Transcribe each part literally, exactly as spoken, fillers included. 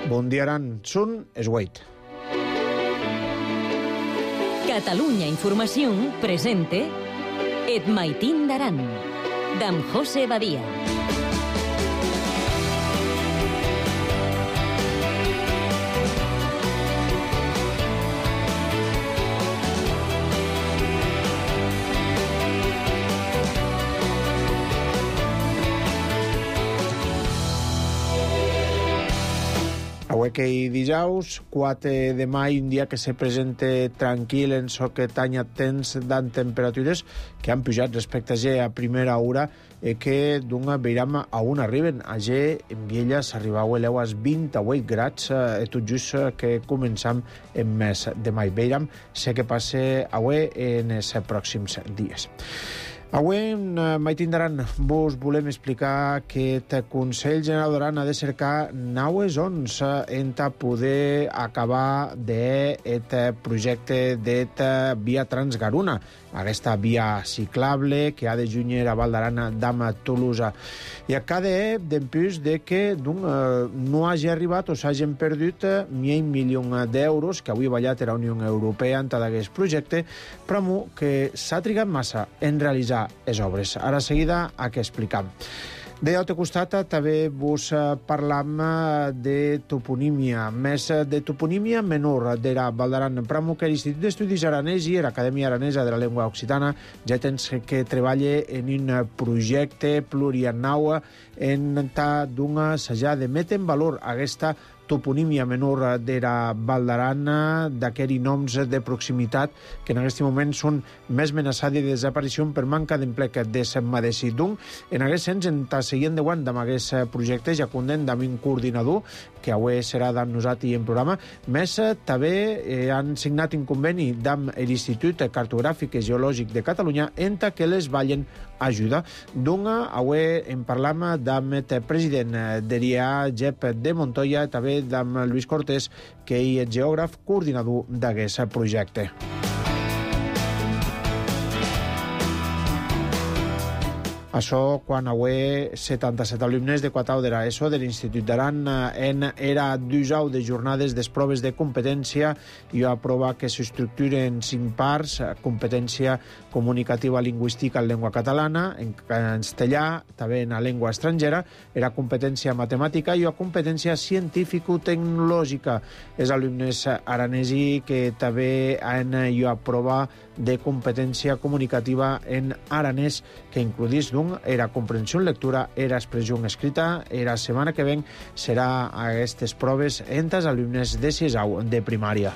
Bon dia, Aran. Sun es Wait. Catalunya Informació presente Et Maitín d'Aran, d'en José Badia. Avui que hi dijous, quatre de maig, un dia que se presenta tranquil en so que tanya temps d'en temperatures que han pujat respecte a G a primera hora i que d'una veiram a on arriben. A G en Viella s'arribau a leues vint-i-vuit grads eh, tot just que començam en mes de maig. Veiram sé que passe avui en els pròxims dies. Avui, en Maitín d'Aran, vos volem explicar que el Consell General d'Aran ha de cercar naues ons en poder acabar d'aquest projecte de via Transgaruna, aquesta via ciclable que ha de junyer a Val d'Aran d'Ama Tolosa. I a cada d'empús de que no hagi arribat o s'hagin perdut mil milions d'euros que avui ballat a la Unió Europea en tot aquest projecte, però que s'ha trigat massa en realitzar les obres. Ara seguida a què explicam. De l'altre costat també vos parlam de toponímia, més de toponímia menor de la Val d'Aran, però que l'Institut d'Estudis Aranès i l'Acadèmia Aranesa de la Llengua Occitana ja tens que treballa en un projecte pluriannau en tal d'una s'ha de metre en valor aquesta toponímia menor de la Val d'Aran, d'aquests noms de proximitat que en aquest moment són més amenaçats de desaparició per manca d'emplec de s'emmadeci. Donc, en aquest sens, en ta seguint de guant amb aquest projecte, ja conden amb un coordinador que avui serà d'en nosaltres en programa, més també eh, han signat un conveni amb l'Institut Cartogràfic i Geològic de Catalunya en que les ballen ajuda. Donc, avui en parlam amb el president de l'I A, Jep de Montoya, també amb Lluís Cortés, que és geògraf coordinador d'aquest projecte. Això quan avui setanta-set alumnes de Quatau de l'ESO de l'Institut d'Aran en era dijous de jornades de proves de competència i a prova que s'estructura en cinc parts: competència comunicativa lingüística en llengua catalana, en castellà, també en la llengua estrangera, era competència matemàtica i a competència científico-tecnològica. Els alumnes aranesi que també han a prova de competència comunicativa en aranès, que includís d'un era comprensió en lectura, era expressió en escrita. La setmana que ven serà a aquestes proves entre els alumnes de sisau de primària.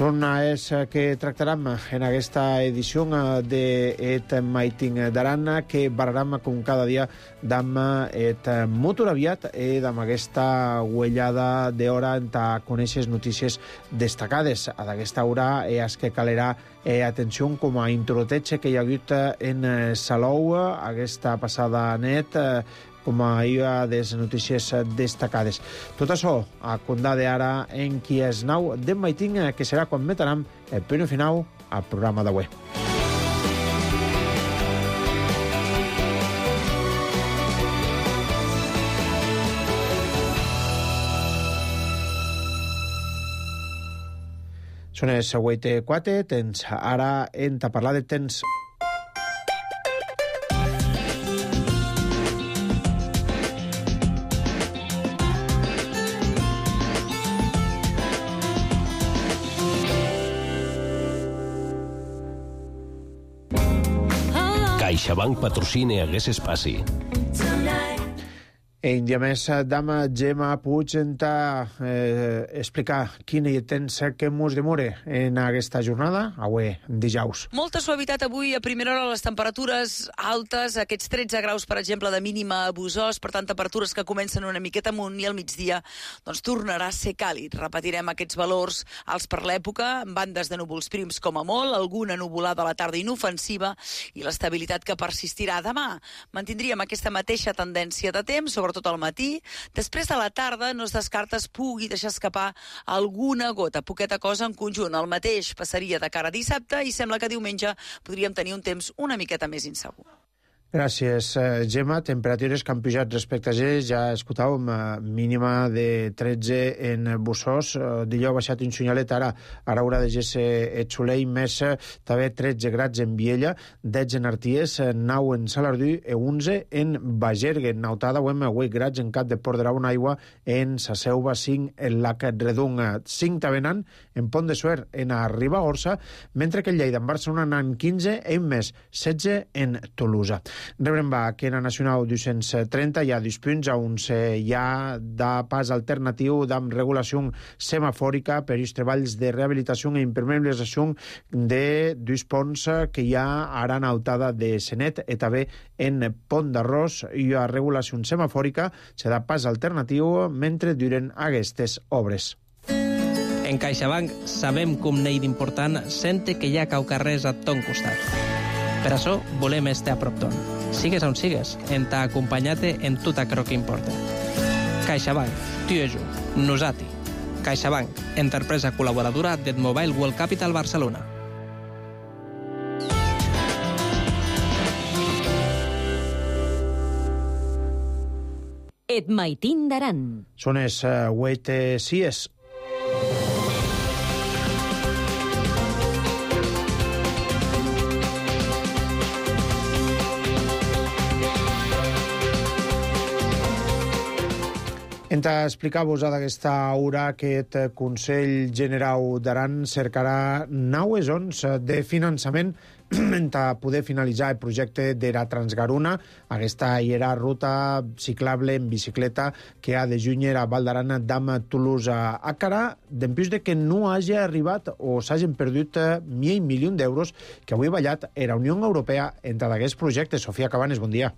Són és que tractarem en aquesta edició de Et Maitín d'Aran, que barrarem com cada dia d'am et motor aviat i d'am aquesta huellada d'hora en ta conèixer notícies destacades. A d'aquesta hora és que calerà eh, atenció com a introteig que hi ha hagut en Salou aquesta passada net, eh, com a iva de les notícies destacades. Tot això a contar d'ara en qui és nau d'en Maitín, que serà quan meteram el punt final al programa d'avui. Són els vuit i quatre, tens ara en ta parlar de temps. CaixaBank patrocina aquest espai. En dia més, dama Gemma Puig enta eh, explicar quina temps que mos demore en aquesta jornada, avui dijous. Molta suavitat avui, a primera hora les temperatures altes, aquests tretze graus, per exemple, de mínima a Busòs, per tant, temperatures que comencen una miqueta amunt i al migdia, doncs tornarà a ser càlid. Repetirem aquests valors alts per l'època, amb bandes de núvols prims com a molt, alguna nuvolada a la tarda inofensiva i l'estabilitat que persistirà demà. Mantindríem aquesta mateixa tendència de temps, sobretot sobretot al matí. Després de la tarda no es descarta es pugui deixar escapar alguna gota, poqueta cosa en conjunt. El mateix passaria de cara a dissabte i sembla que diumenge podríem tenir un temps una miqueta més insegur. Gràcies, Gemma. Temperatures que han pujat respecte a ahir, ja escoltàvem, mínima de tretze en Bussós, dilluns ha baixat un xunyalet, ara ara haurà de ser et Solell, més també tretze grads en Viella, dotze en Arties, nou en Salardú i onze en Bagergue. Nautada, ho hem vuit grads en Cap de Port de la Bonaigua, en Sa Selva, cinc en Lac Redung, cinc Tavenan, en Pont de Suert, en Ribagorça, mentre que en Lleida, en Barcelona, n'han quinze, en més setze en Tolosa. Rebrem va que en la Nacional dos-cents trenta hi ha dos punts on hi ha de pas alternatiu d'amb regulació semafòrica per els treballs de rehabilitació i impermeabilització de dos ponts que hi ha ara en Altada de Senet i també en Pont d'Arròs hi ha regulació semafòrica, serà pas alternatiu mentre duren aquestes obres. En CaixaBank sabem com n'hi d'important sente que hi ha caucarrers a ton costat. Per això volem estar a prop ton. Sigues on sigues, en t'ha acompanyat en tot aquello que importa. CaixaBank, tu i jo, nosati. CaixaBank, empresa col·laboradora del Mobile World Capital Barcelona. Et Maitín d'Aran. Són els vuit sies. Entra a explicar-vos d'aquesta hora que el Consell Generau d'Aran cercarà noves zones de finançament per poder finalitzar el projecte de la Transgaruna, aquesta era ruta ciclable en bicicleta que ha de junyer a Val d'Aran d'Am Toulouse a Carà, d'empús de que no hagi arribat o s'hagin perdut mil milions d'euros que avui ha ballat a la Unió Europea entre d'aquests projectes. Sofia Cabanes, bon dia.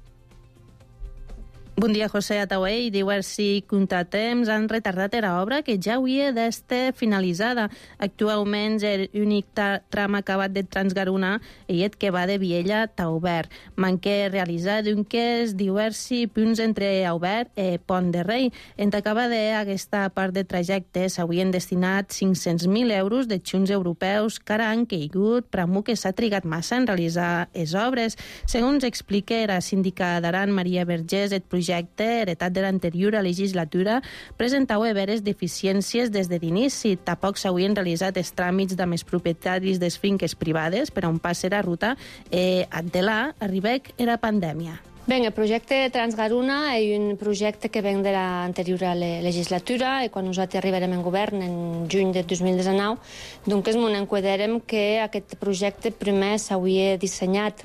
Bon dia, José Ataué. Diversos contratemps han retardat l'obra que ja hauria d'estar finalitzada. Actualment, l'únic tram acabat de Transgaruna i el que va de Viella a Aubert. Manca realitzar d'unques diversos punts entre Aubert i Pont de Rei. En acabar d'aquesta part de trajecte s'haurien destinat cinc-cents mil euros de xunts europeus que ara han caigut, però que s'ha trigat massa en realitzar les obres. Segons explica la síndica d'Aran, Maria Vergés, el projecte projecte heretat de l'anterior legislatura presentava veres deficiències des de l'inici. Tampoc s'haurien realitzat els tràmits de més propietaris de finques privades per on passa la ruta i de là arribec era pandèmia. Ben, el projecte Transgaruna és un projecte que ven de l'anterior legislatura i quan nosaltres arribarem en govern en juny de dos mil dinou, doncs ens enquaderem que aquest projecte primer s'hauria dissenyat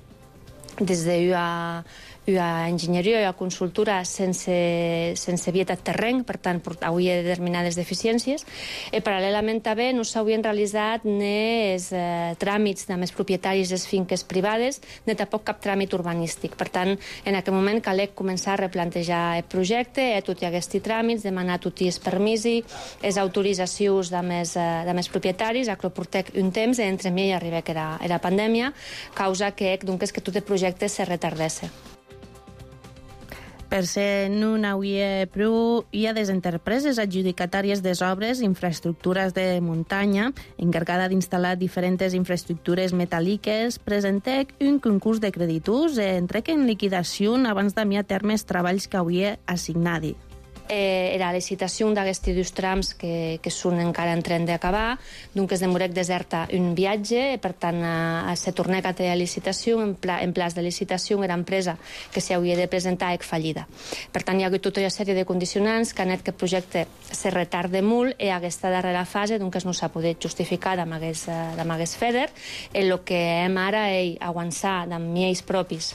des d'una una enginyeria i una consultora sense, sense vietat terreny, per tant, hauria determinades deficiències. I paral·lelament també no s'haurien realitzat ni els eh, tràmits de més propietaris de finques privades, ni tampoc cap tràmit urbanístic. Per tant, en aquell moment calec començar a replantejar el projecte, a tots aquests tràmits, demanar tots els permisos, les autoritzacions de més, eh, de més propietaris, a que portec un temps, i entre mi arriba que era, era pandèmia, causa que, doncs, que tot el projecte se retardés. Per ser no n'hauria prou, hi ha des empreses adjudicatàries de obres, infraestructures de muntanya, encarregada d'instal·lar diferents infraestructures metàl·liques, presentec un concurs de creditors i entrec en liquidació abans d'enviar a terme els treballs que hauria assignat. Eh, era la licitació d'aquests dos trams que, que són encara en tren d'acabar, doncs es demorec deserta un viatge, per tant a, a se tornec a la licitació, en, pla, en plaç de licitació era empresa que s'hauria de presentar ec fallida. Per tant hi ha hagut tota una sèrie de condicionants que han fet que el projecte se retarde molt i aquesta darrera fase doncs no s'ha pogut justificar amb aquest FEDER, i el que hem ara és avançar amb miels propis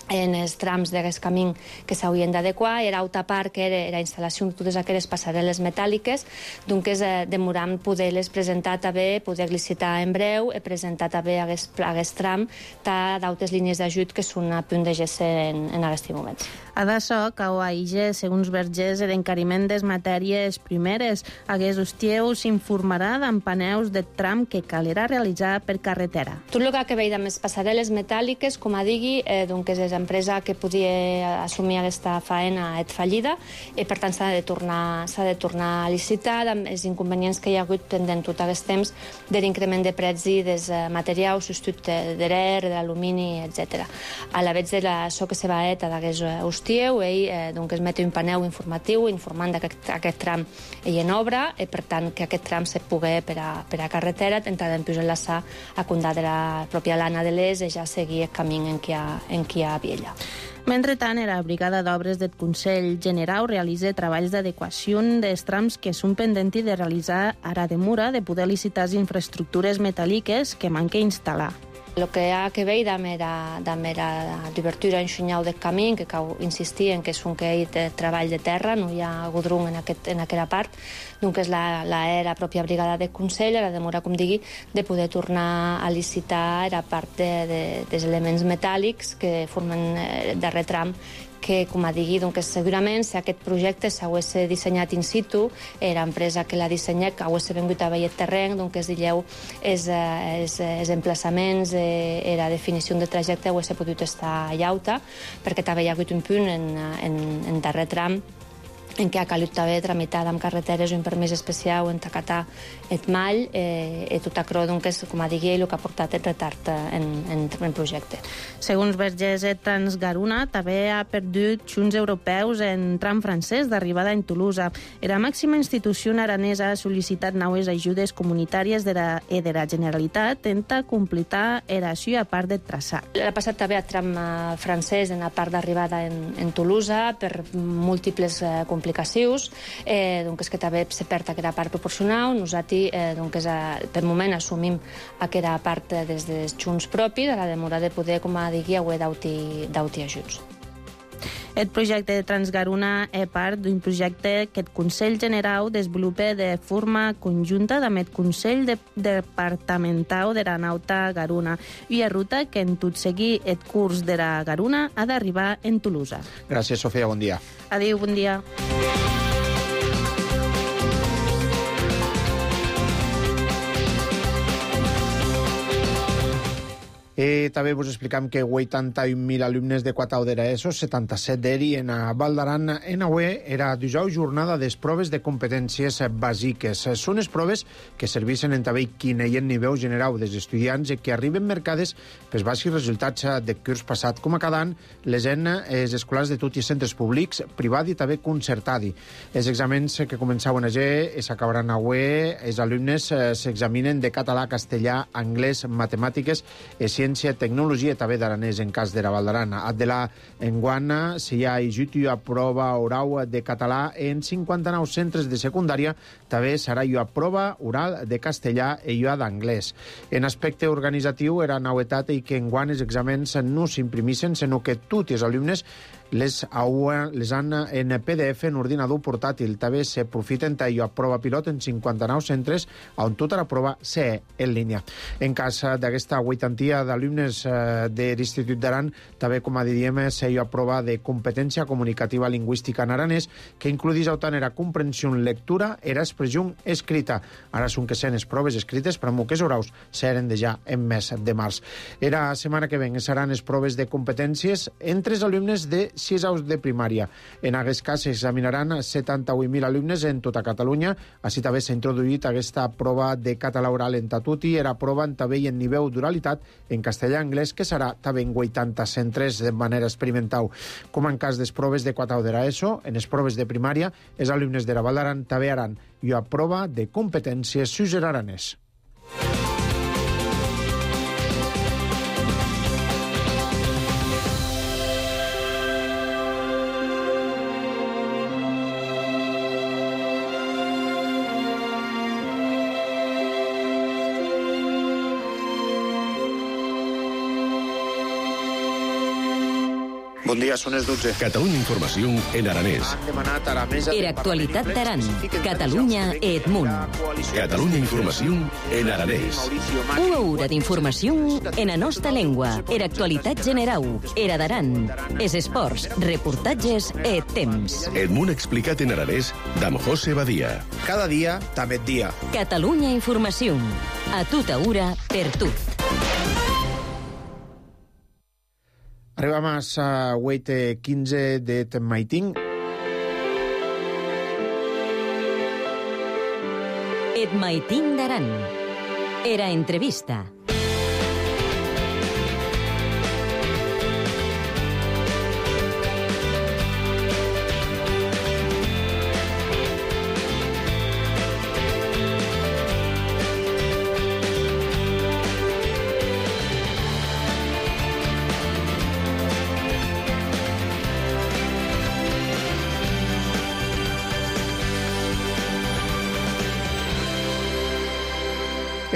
en els trams d'aquest camí que s'haurien d'adequar. Era altra part que era la instal·lació de totes aquelles passarel·les metàl·liques, doncs eh, demoram poder-les presentar també, poder licitar en breu i presentar també aquest, aquest tram d'altres línies d'ajut que són a punt de gesser en, en aquest moment. A d'això, cau a Ige, segons Vergés, l'encariment des matèries primeres. Aquests hostieu s'informarà d'empaneus de tram que calirà realitzar per carretera. Tot el que ha que veure amb les passarel·les metàl·liques, com a digui, eh, doncs és l'empresa que podia assumir aquesta faena és fallida i per tant s'ha de tornar, s'ha de tornar a licitar amb els inconvenients que hi ha hagut pendent tot aquest temps de l'increment de preus dels materials, substitut de l'air, de l'alumini, etcètera. A la vegada de això que se va eta d'aquest hostieu, ell eh, doncs es mete un paneu informatiu informant que aquest, aquest tram ell en obra i per tant que aquest tram se pugui per a, per a carretera, tentar d'empius enlaçar a Condà de la pròpia Lana de l'Est i ja seguir el camí en què hi ha, en què hi ha Viella. Mentrestant, la Brigada d'Obres del Consell Generau realitza treballs d'adequació dels trams que són pendents de realitzar ara de Mura, de poder licitar les infraestructures metàl·liques que manca instal·lar. El que ha que veure amb l'obertura en xunyau del camí, que cal insistir en que és un que hi ha treball de terra, no hi ha godrung en, aquest, en aquella part, doncs és la, la, la pròpia brigada de Consell, la demora, com digui, de poder tornar a licitar la part de, de, dels elements metàl·lics que formen el darrer tram, que, com a digui, doncs, segurament si aquest projecte s'hagués dissenyat in situ, l'empresa que l'ha dissenyat, que hagués vengut a veure el terreny, doncs, digueu, els, els, els emplaçaments i la definició de trajecte hagués pogut estar llauta, perquè també hi ha hagut un punt en, en, en darrer tram en què ha calut també tramitar amb carreteres un permís especial en tacatar el mall eh, i tot això, doncs, com a digui, el que ha portat el retard en, en, en projecte. Segons Vergès, Transgaruna també ha perdut xunts europeus en tram francès d'arribada en Tolosa. La màxima institució aranesa ha sol·licitat noves ajudes comunitàries de la, i de la Generalitat tenta completar eració a part de traçat. Ha passat també a tram francès en la part d'arribada en, en Tolosa per múltiples eh, complicacions, eh, doncs que també se perd aquella part proporcional. Nosaltres, eh, doncs, per moment, assumim aquella part des dels xunts propis, a la demora de poder, com a digui, haver d'auti ajuts. El projecte de Transgaruna és part d'un projecte que el Consell Generau desenvolupa de forma conjunta amb el Consell de Departamental de la Nauta Garuna i a ruta que en tot seguir el curs de la Garuna ha d'arribar en Tolosa. Gràcies, Sofia, bon dia. Adéu, bon dia. Eh, també vos explicam que vuitanta-un mil alumnes de Quatau d'Era ESO, setanta-set d'Eri en a Val d'Aran, en avui era dijous jornada des proves de competències bàsiques. Són les proves que servissen en també quin hi ha nivell general dels estudiants i que arriben mercades pels baixos resultats de curs passat. Com a cada any, les en els escolars de tots els centres públics, privats i també concertats. Els exàmens que començaven ayer i s'acabaran avui, els alumnes s'examinen de català, castellà, anglès, matemàtiques i ciències, tecnologia i també d'aranès en cas de la Val d'Aran. Adela enguana si hi ha ajut a prova oral de català en cinquanta-nou centres de secundària, també serà a prova oral de castellà i a d'anglès. En aspecte organitzatiu era novetat i que enguany els exàmens no s'imprimissen, sinó que tots els alumnes les, les han en P D F en ordinador portàtil. També s'aprofiten a prova pilot en cinquanta-nou centres on tota la prova s'é en línia. En cas d'aquesta vuitantia d'alumnes de l'Institut d'Aran, també, com a diríem, s'é a prova de competència comunicativa lingüística en aranès, que includís tant era comprensió en lectura, era expressió escrita. Ara són que sent les proves escrites, però amb que orals seren de ja en mes de març. Era setmana que ven seran les proves de competències entre els alumnes de sis aus de primària. En aquest cas s'examinaran setanta-vuit mil alumnes en tota Catalunya. Així també s'ha introduït aquesta prova de català oral en tatuti. Era prova en també en nivell d'oralitat en castellà anglès, que serà també en vuitanta centres de manera experimental. Com en cas de proves de Quatau d'Era ESO, en les proves de primària, els alumnes de la Val d'Aran també haran i a prova de competències suzeraranès. Bon dia, són les dotze. Catalunya Informació en aranès. Han demanat a la mesa... Era actualitat d'Aran. Catalunya e Edmunt. Catalunya Informació en aranès. Una hora d'informació en la nostra llengua. Era actualitat generau. Era d'Aran. Es esports, reportatges e temps. Edmunt explicat en aranès d'Am José Badia. Cada dia, també dia. Catalunya Informació. A tota hora, per tot. Arribam a la vuit quinze de Maiting. Et Maiting d'Aran. Era entrevista.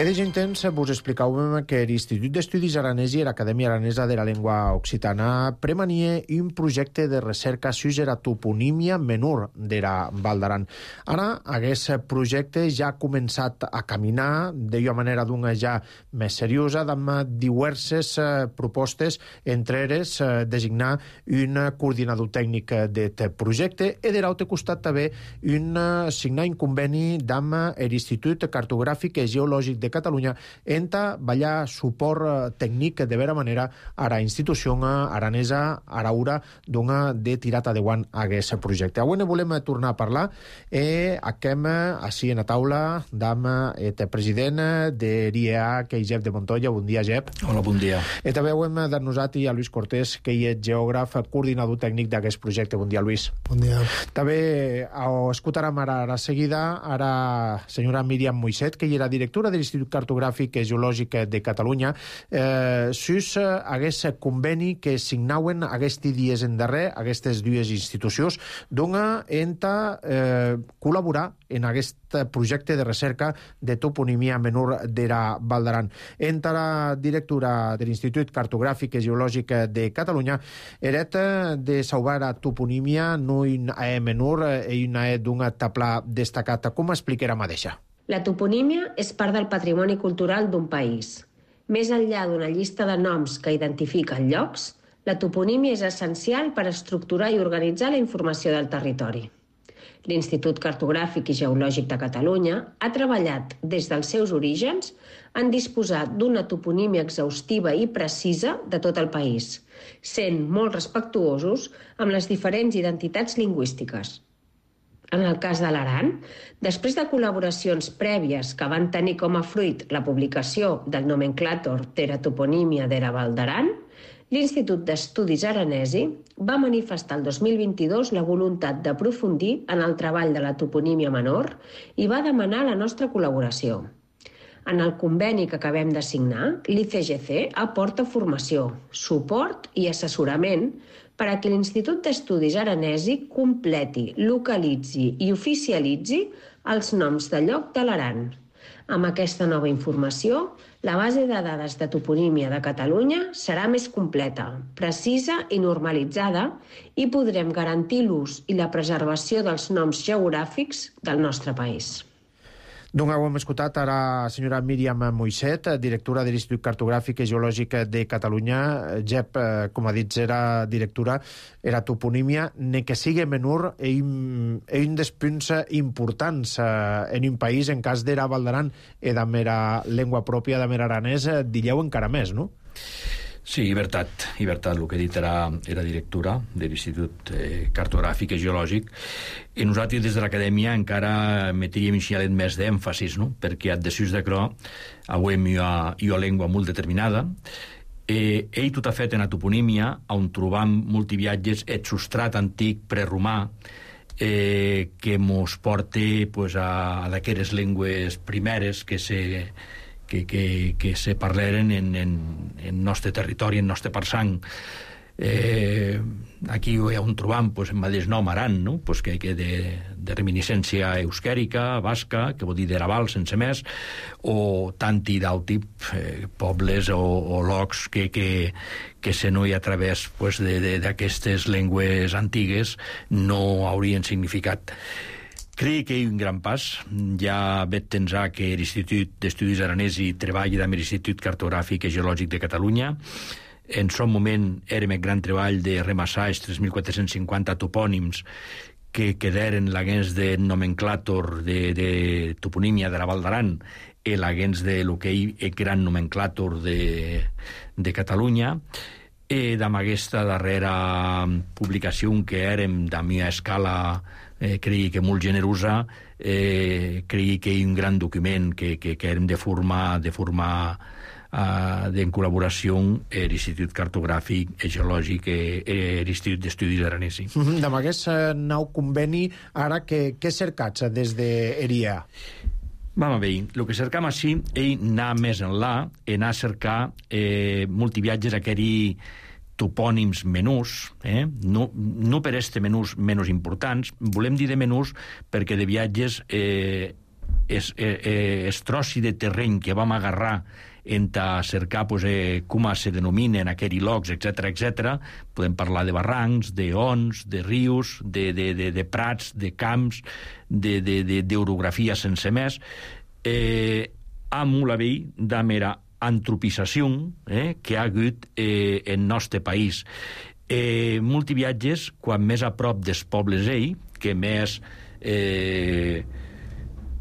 E de gent temps vos explicàvem que l'Institut d'Estudis Aranesi i l'Acadèmia Aranesa de la Llengua Occitana premanie un projecte de recerca sus la toponímia menor de la Val d'Aran. Ara, aquest projecte ja ha començat a caminar d'una manera d'una ja més seriosa, amb diverses propostes, entre elles designar un coordinador tècnic d'aquest projecte i de l'altre costat també un, signar un conveni amb l'Institut Cartogràfic i Geològic de Catalunya enta ballar suport tècnic de vera manera a la institució aranesa araura d'una de tirat endavant a aquest projecte. Avui ne volem tornar a parlar e achem així en la taula amb el president de l'I E A, que és Jep de Montoya. Bon dia, Jep. Hola, bon dia. I també ho hem de nosaltres a Lluís Cortés, que és geògraf, coordinador tècnic d'aquest projecte. Bon dia, Lluís. Bon dia. També escoltarem ara a seguida a la senyora Míriam Moixet, que era directora de l'Institut Cartogràfic i Geològic de Catalunya, eh, sus aquest conveni que signauen aquests dies en darrer, aquestes dues institucions, d'una enta eh, col·laborar en aquest projecte de recerca de toponímia menor de la Val d'Aran. Enta la directora de l'Institut Cartogràfic i Geològic de Catalunya eret de salvar la toponímia no una E menor i una E d'un taplà destacat. Com explicarà mateixa? La toponímia és part del patrimoni cultural d'un país. Més enllà d'una llista de noms que identifiquen llocs, la toponímia és essencial per estructurar i organitzar la informació del territori. L'Institut Cartogràfic i Geològic de Catalunya ha treballat des dels seus orígens en disposar d'una toponímia exhaustiva i precisa de tot el país, sent molt respectuosos amb les diferents identitats lingüístiques. En el cas de l'Aran, després de col·laboracions prèvies que van tenir com a fruit la publicació del nomenclàtor de la toponímia de la Val d'Aran, l'Institut d'Estudis Aranesi va manifestar el dos mil vint-i-dos la voluntat d'aprofundir en el treball de la toponímia menor i va demanar la nostra col·laboració. En el conveni que acabem de signar, l'I C G C aporta formació, suport i assessorament per a que l'Institut d'Estudis Aranesi completi, localitzi i oficialitzi els noms de lloc de l'Aran. Amb aquesta nova informació, la base de dades de toponímia de Catalunya serà més completa, precisa i normalitzada i podrem garantir l'ús i la preservació dels noms geogràfics del nostre país. Doncs ho hem escoltat a la senyora Míriam Moixet, directora de l'Institut Cartogràfic i Geològic de Catalunya. Jep, com ha dit, era directora, era toponímia, ne que sigui menor, és un dels punts importants en un país, en cas de la Val d'Aran i de mera llengua pròpia, de mera aranès, dilleu encara més, no? Sí, i veritat, i veritat, el que he dit era, era directora de l'Institut eh, Cartogràfic i Geològic, i nosaltres des de l'acadèmia encara metríem un xialet més d'èmfasis, no? Perquè addesus de cro avem una, una llengua molt determinada, eh, ell tot ha fet en la toponímia, on trobam multiviatges et substrat antic preromà, eh, que mos porta pues, a, a d'aquelles llengües primeres que se... que, que, que se parleren en, en, en nostre territori, en nostre parsang. Eh, aquí on trobam pues, el mateix nom Aran, no? Pues que, que de, de reminiscència euskèrica, basca, que vol dir d'Eraval sense més, o tanti d'alti eh, pobles o, o locs que, que, que se no hi a través pues, d'aquestes llengües antigues no haurien significat. Crec que hi ha un gran pas. Ja veig tensar que l'Institut d'Estudis Aranesi treballa amb l'Institut Cartogràfic i Geològic de Catalunya. En son moment érem el gran treball de remassar els tres mil quatre-cents cinquanta topònims que quedaren l'agens de nomenclàtor de, de toponímia de la Val d'Aran i l'agens de lo que hi el gran nomenclàtor de, de Catalunya. eh, d'amb aquesta darrera publicació que érem de mi escala, eh, cregui que molt generosa, eh, cregui que hi ha un gran document que, que, que érem de formar, de formar Uh, en col·laboració amb l'Institut Cartogràfic i Geològic i l'Institut d'Estudis Aranesi. Mm-hmm. Amb aquest uh, nou conveni, ara què, què cercats des d'Eria? Vam a veure, el que cercam així és anar més enllà, anar a cercar eh, multiviatges a aquells topònims menús, eh? no, no per este menús menys importants, volem dir de menús perquè de viatges eh, es, eh, es trossi de terreny que vam agarrar en a cercar pues, eh, com se denominen aquells llocs, etcètera, etcètera. Podem parlar de barrancs, de ons, de rius, de, de, de, de prats, de camps, d'orografia sense més, eh, amb la vell de mera antropització eh, que ha hagut eh, en nostre país. Eh, multiviatges, quan més a prop dels pobles ell, que més eh,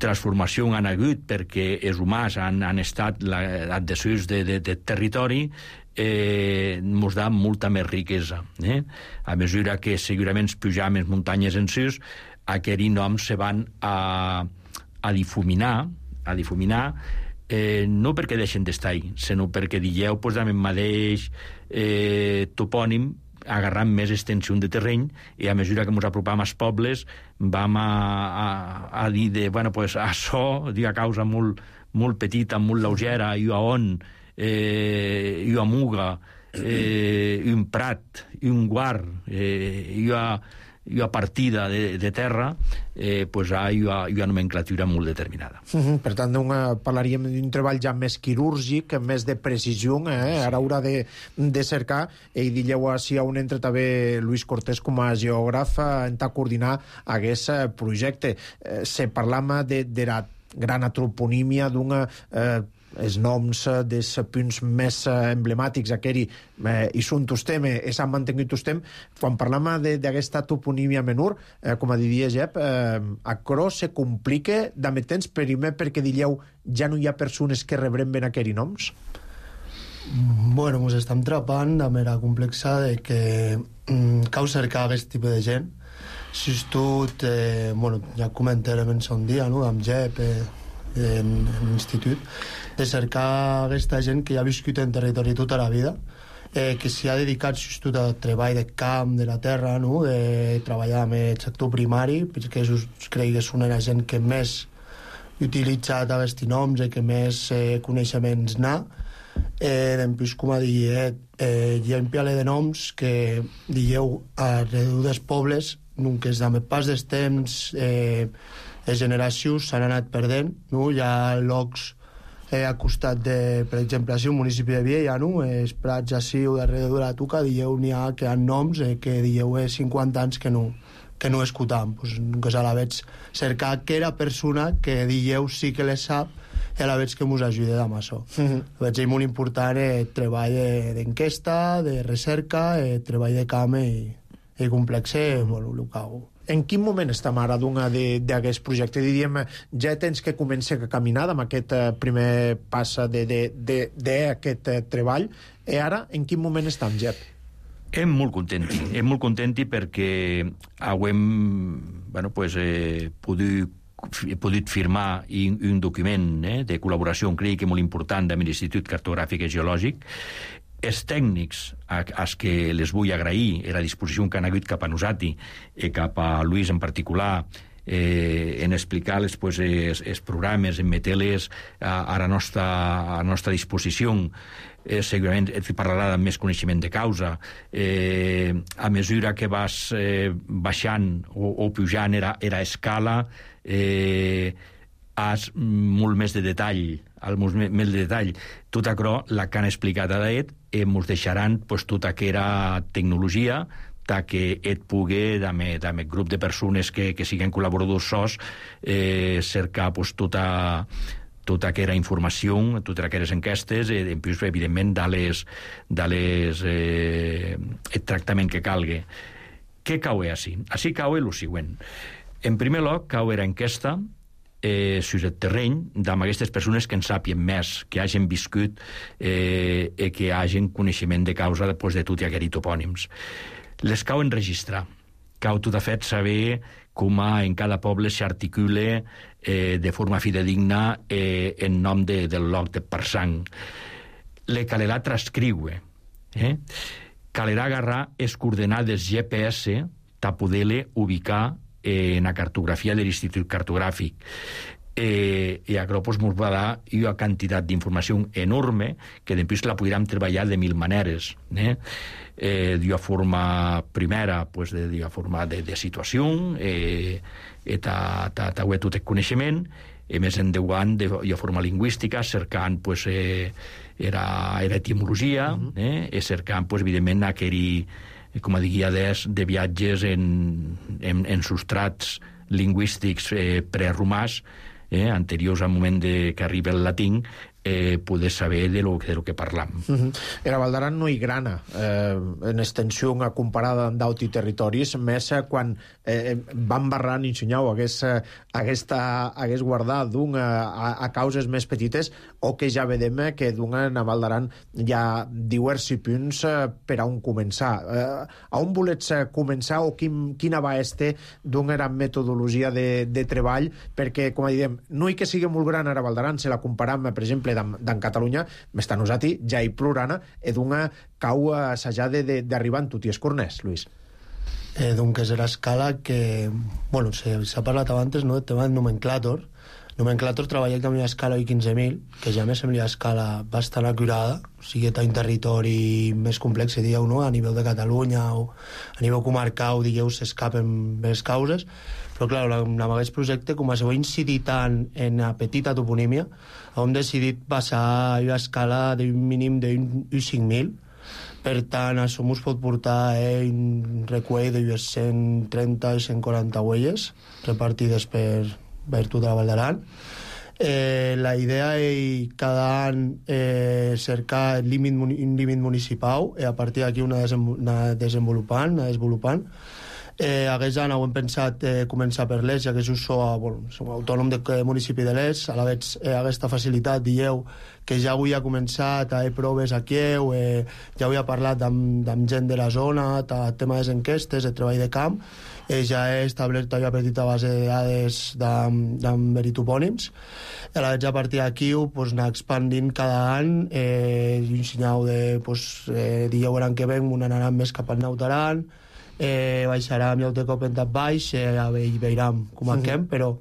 transformació han hagut perquè els humans han, han estat adhesius de, de, de territori, eh, ens da molta més riquesa. Eh? A mesura que segurament pujam les muntanyes en sus, aquells noms se van a, a difuminar, a difuminar eh, no perquè deixen d'estar ahí, sinó perquè dieu, pues, amb el mateix eh, topònim, agarrant més extensió de terreny, i a mesura que ens apropam als pobles vam a, a, a dir de, bueno, pues, això, a causa molt, molt petita, molt lleugera, i a on, eh, i a muga, eh, i un prat, i un guard, eh, i a, i a partida de, de terra, eh, pues, hi ha una nomenclatura molt determinada. Mm-hmm. Per tant, una, parlaríem d'un treball ja més quirúrgic, més de precisió, eh? Sí. Ara haurà de, de cercar, i dilleu així a un entre també Luis Cortés com a geògraf en a coordinar aquest projecte. Eh, se parlam de, de la gran antroponímia d'una... Eh, els noms dels punts més emblemàtics, aquell eh, i són tostem, eh, s'han mantingut tostem. Quan parlam d'aquesta toponímia menor, eh, com a diria Jep, eh, acro se complica d'ame temps, primer perquè dieu ja no hi ha persones que rebrem ben aquells noms? Bueno, ens estem trapant de manera complexa de que mm, cal cercar aquest tipus de gent. Si tot, eh, bueno, ja comentarem en son dia, no?, amb Jep, eh, en, en l'institut, de cercar aquesta gent que ja ha viscut en territori tota la vida, eh, que s'hi ha dedicat tot al treball de camp, de la terra, no?, de treballar amb el sector primari, perquè us crec que és una gent que més utilitza aquests noms i que més eh, coneixements n'ha. Eh, després, com a dir, eh, hi ha un piale de noms que dieu alrededor dels pobles, que és amb el pas dels temps, eh, les generacions s'han anat perdent, no? Hi ha llocs eh, a costat de, per exemple, així, un municipi de Viella, no? Els prats així o darrere de la Tuca, dieu, n'hi ha que han noms eh, que dieu eh, cinquanta anys que no, que no escutam. Pues, que a la veig cercar aquella persona que dieu sí que les sap i a la veig que ens ajuda amb això. Mm-hmm. Veig molt important eh, treball d'enquesta, de recerca, eh, treball de camp i, i complex, eh, bueno, el que hago. En quin moment estem ara d'aquest projecte? Diríem, ja tens que començar a caminar amb aquest primer pas d'aquest treball, i ara en quin moment estem, Jep? Em molt contenti, em molt contenti perquè hem bueno, pues, eh, pogut he pogut firmar un, un document eh, de col·laboració, crec que molt important, amb l'Institut Cartogràfic i Geològic. Els tècnics, als que les vull agrair la disposició que han hagut cap a nosaltres i cap a Luis en particular, eh, en explicar-les pues, els, els programes, en metre-les a, a, la nostra, a la nostra disposició. Eh, segurament et parlarà amb més coneixement de causa. Eh, a mesura que vas eh, baixant o, o pujant era, era escala, eh, has molt més de detall, molt més de detall. Tot això, la que han explicat a d'et, eh, ens deixaran pues, tota aquella tecnologia que et pugui, amb el grup de persones que, que siguin col·laboradors sos, eh, cercar pues, tota, tota aquella informació, totes aquelles enquestes, eh, en plus, evidentment, de les, de les, eh, el tractament que calgui. Què cau així? Així cau el següent. En primer lloc, cau era enquesta eh, sus el terreny d'amb aquestes persones que en sàpien més, que hagin viscut eh, i que hagin coneixement de causa pues, de tot i aquests topònims. Les cau enregistrar, cau tot a fet saber com en cada poble s'articula eh, de forma fidedigna eh, en nom de, del lloc de Parsang. Le calerà transcriure, eh? Calerà agarrar les coordenades G P S ta poder-le ubicar eh, en la cartografia de l'Institut Cartogràfic. Eh, I això pues, ens va dar una quantitat d'informació enorme que després la podríem treballar de mil maneres. Eh? Eh, d'una forma primera, pues, de, d'una forma de, de situació, eh, i ta, ta, ta, tot el coneixement, i més endavant d'una forma lingüística, cercant pues, eh, era, era etimologia, uh-huh. eh, i cercant, pues, evidentment, aquell, com a guiades de viatges en, en, en substrats lingüístics eh, preromàs, eh, anteriors al moment de que arriba el latín, eh, poder saber de lo, de lo que parlam. Uh-huh. Era Val d'Aran no hi grana eh, en extensió comparada amb d'altres territoris, més eh, quan eh, van barrant i ensenyau hagués, eh, aquesta, hagués guardat d'un a, a causes més petites, o que ja vedem que d'un a Val d'Aran hi ha diversos punts eh, per a on començar. Eh, a on volets eh, començar o quin, quina va este d'un era metodologia de, de treball? Perquè, com diem, no hi que sigui molt gran ara Val d'Aran, se la comparam, per exemple, d'en Catalunya, m'està nosaltres ja hi plorana, e d'una cau assajada d'arribar en tot i escornès, Luis. Eh, donc és l'escala que, bueno, s'ha parlat abans, no?, del tema del nomenclàtor. Nomenclàtor treballa amb una escala I quinze mil, que ja me sembla una escala bastant acurada, o sigui, té un territori més complex, dieu, no?, a nivell de Catalunya o a nivell comarcal, dieu, s'escapen més causes, però, clar, amb aquest projecte, com a s'ho ha incidit tant en la petita toponímia, hem decidit passar a una escala d'un mínim d'un cinc mil. Per tant, això ens pot portar eh, un recull d'unes cent trenta i cent quaranta huelles repartides per, per tota la Val d'Aran. Eh, la idea és cada any eh, cercar límit, un límit municipal i a partir d'aquí una, una desenvolupant, una desenvolupant. Eh, aquest any hem pensat eh, començar per l'Est, ja que som, bueno, som autònom del municipi de l'Est, a la vegada eh, aquesta facilitat, dieu, que ja avui ha començat a fer proves aquí, eh, ja avui ha parlat amb, amb gent de la zona, el tema de les enquestes, el treball de camp, eh, ja he establert una petita base de dades amb veritopònims, a la vegada a partir d'aquí pues, anar expandint cada any, eh, un senyal de, pues, eh, dieu l'any que ven, un anaran més cap al Naut Aran, eh, baixarem i el cop en tap baix, eh, i veurem com acabem, sí. Però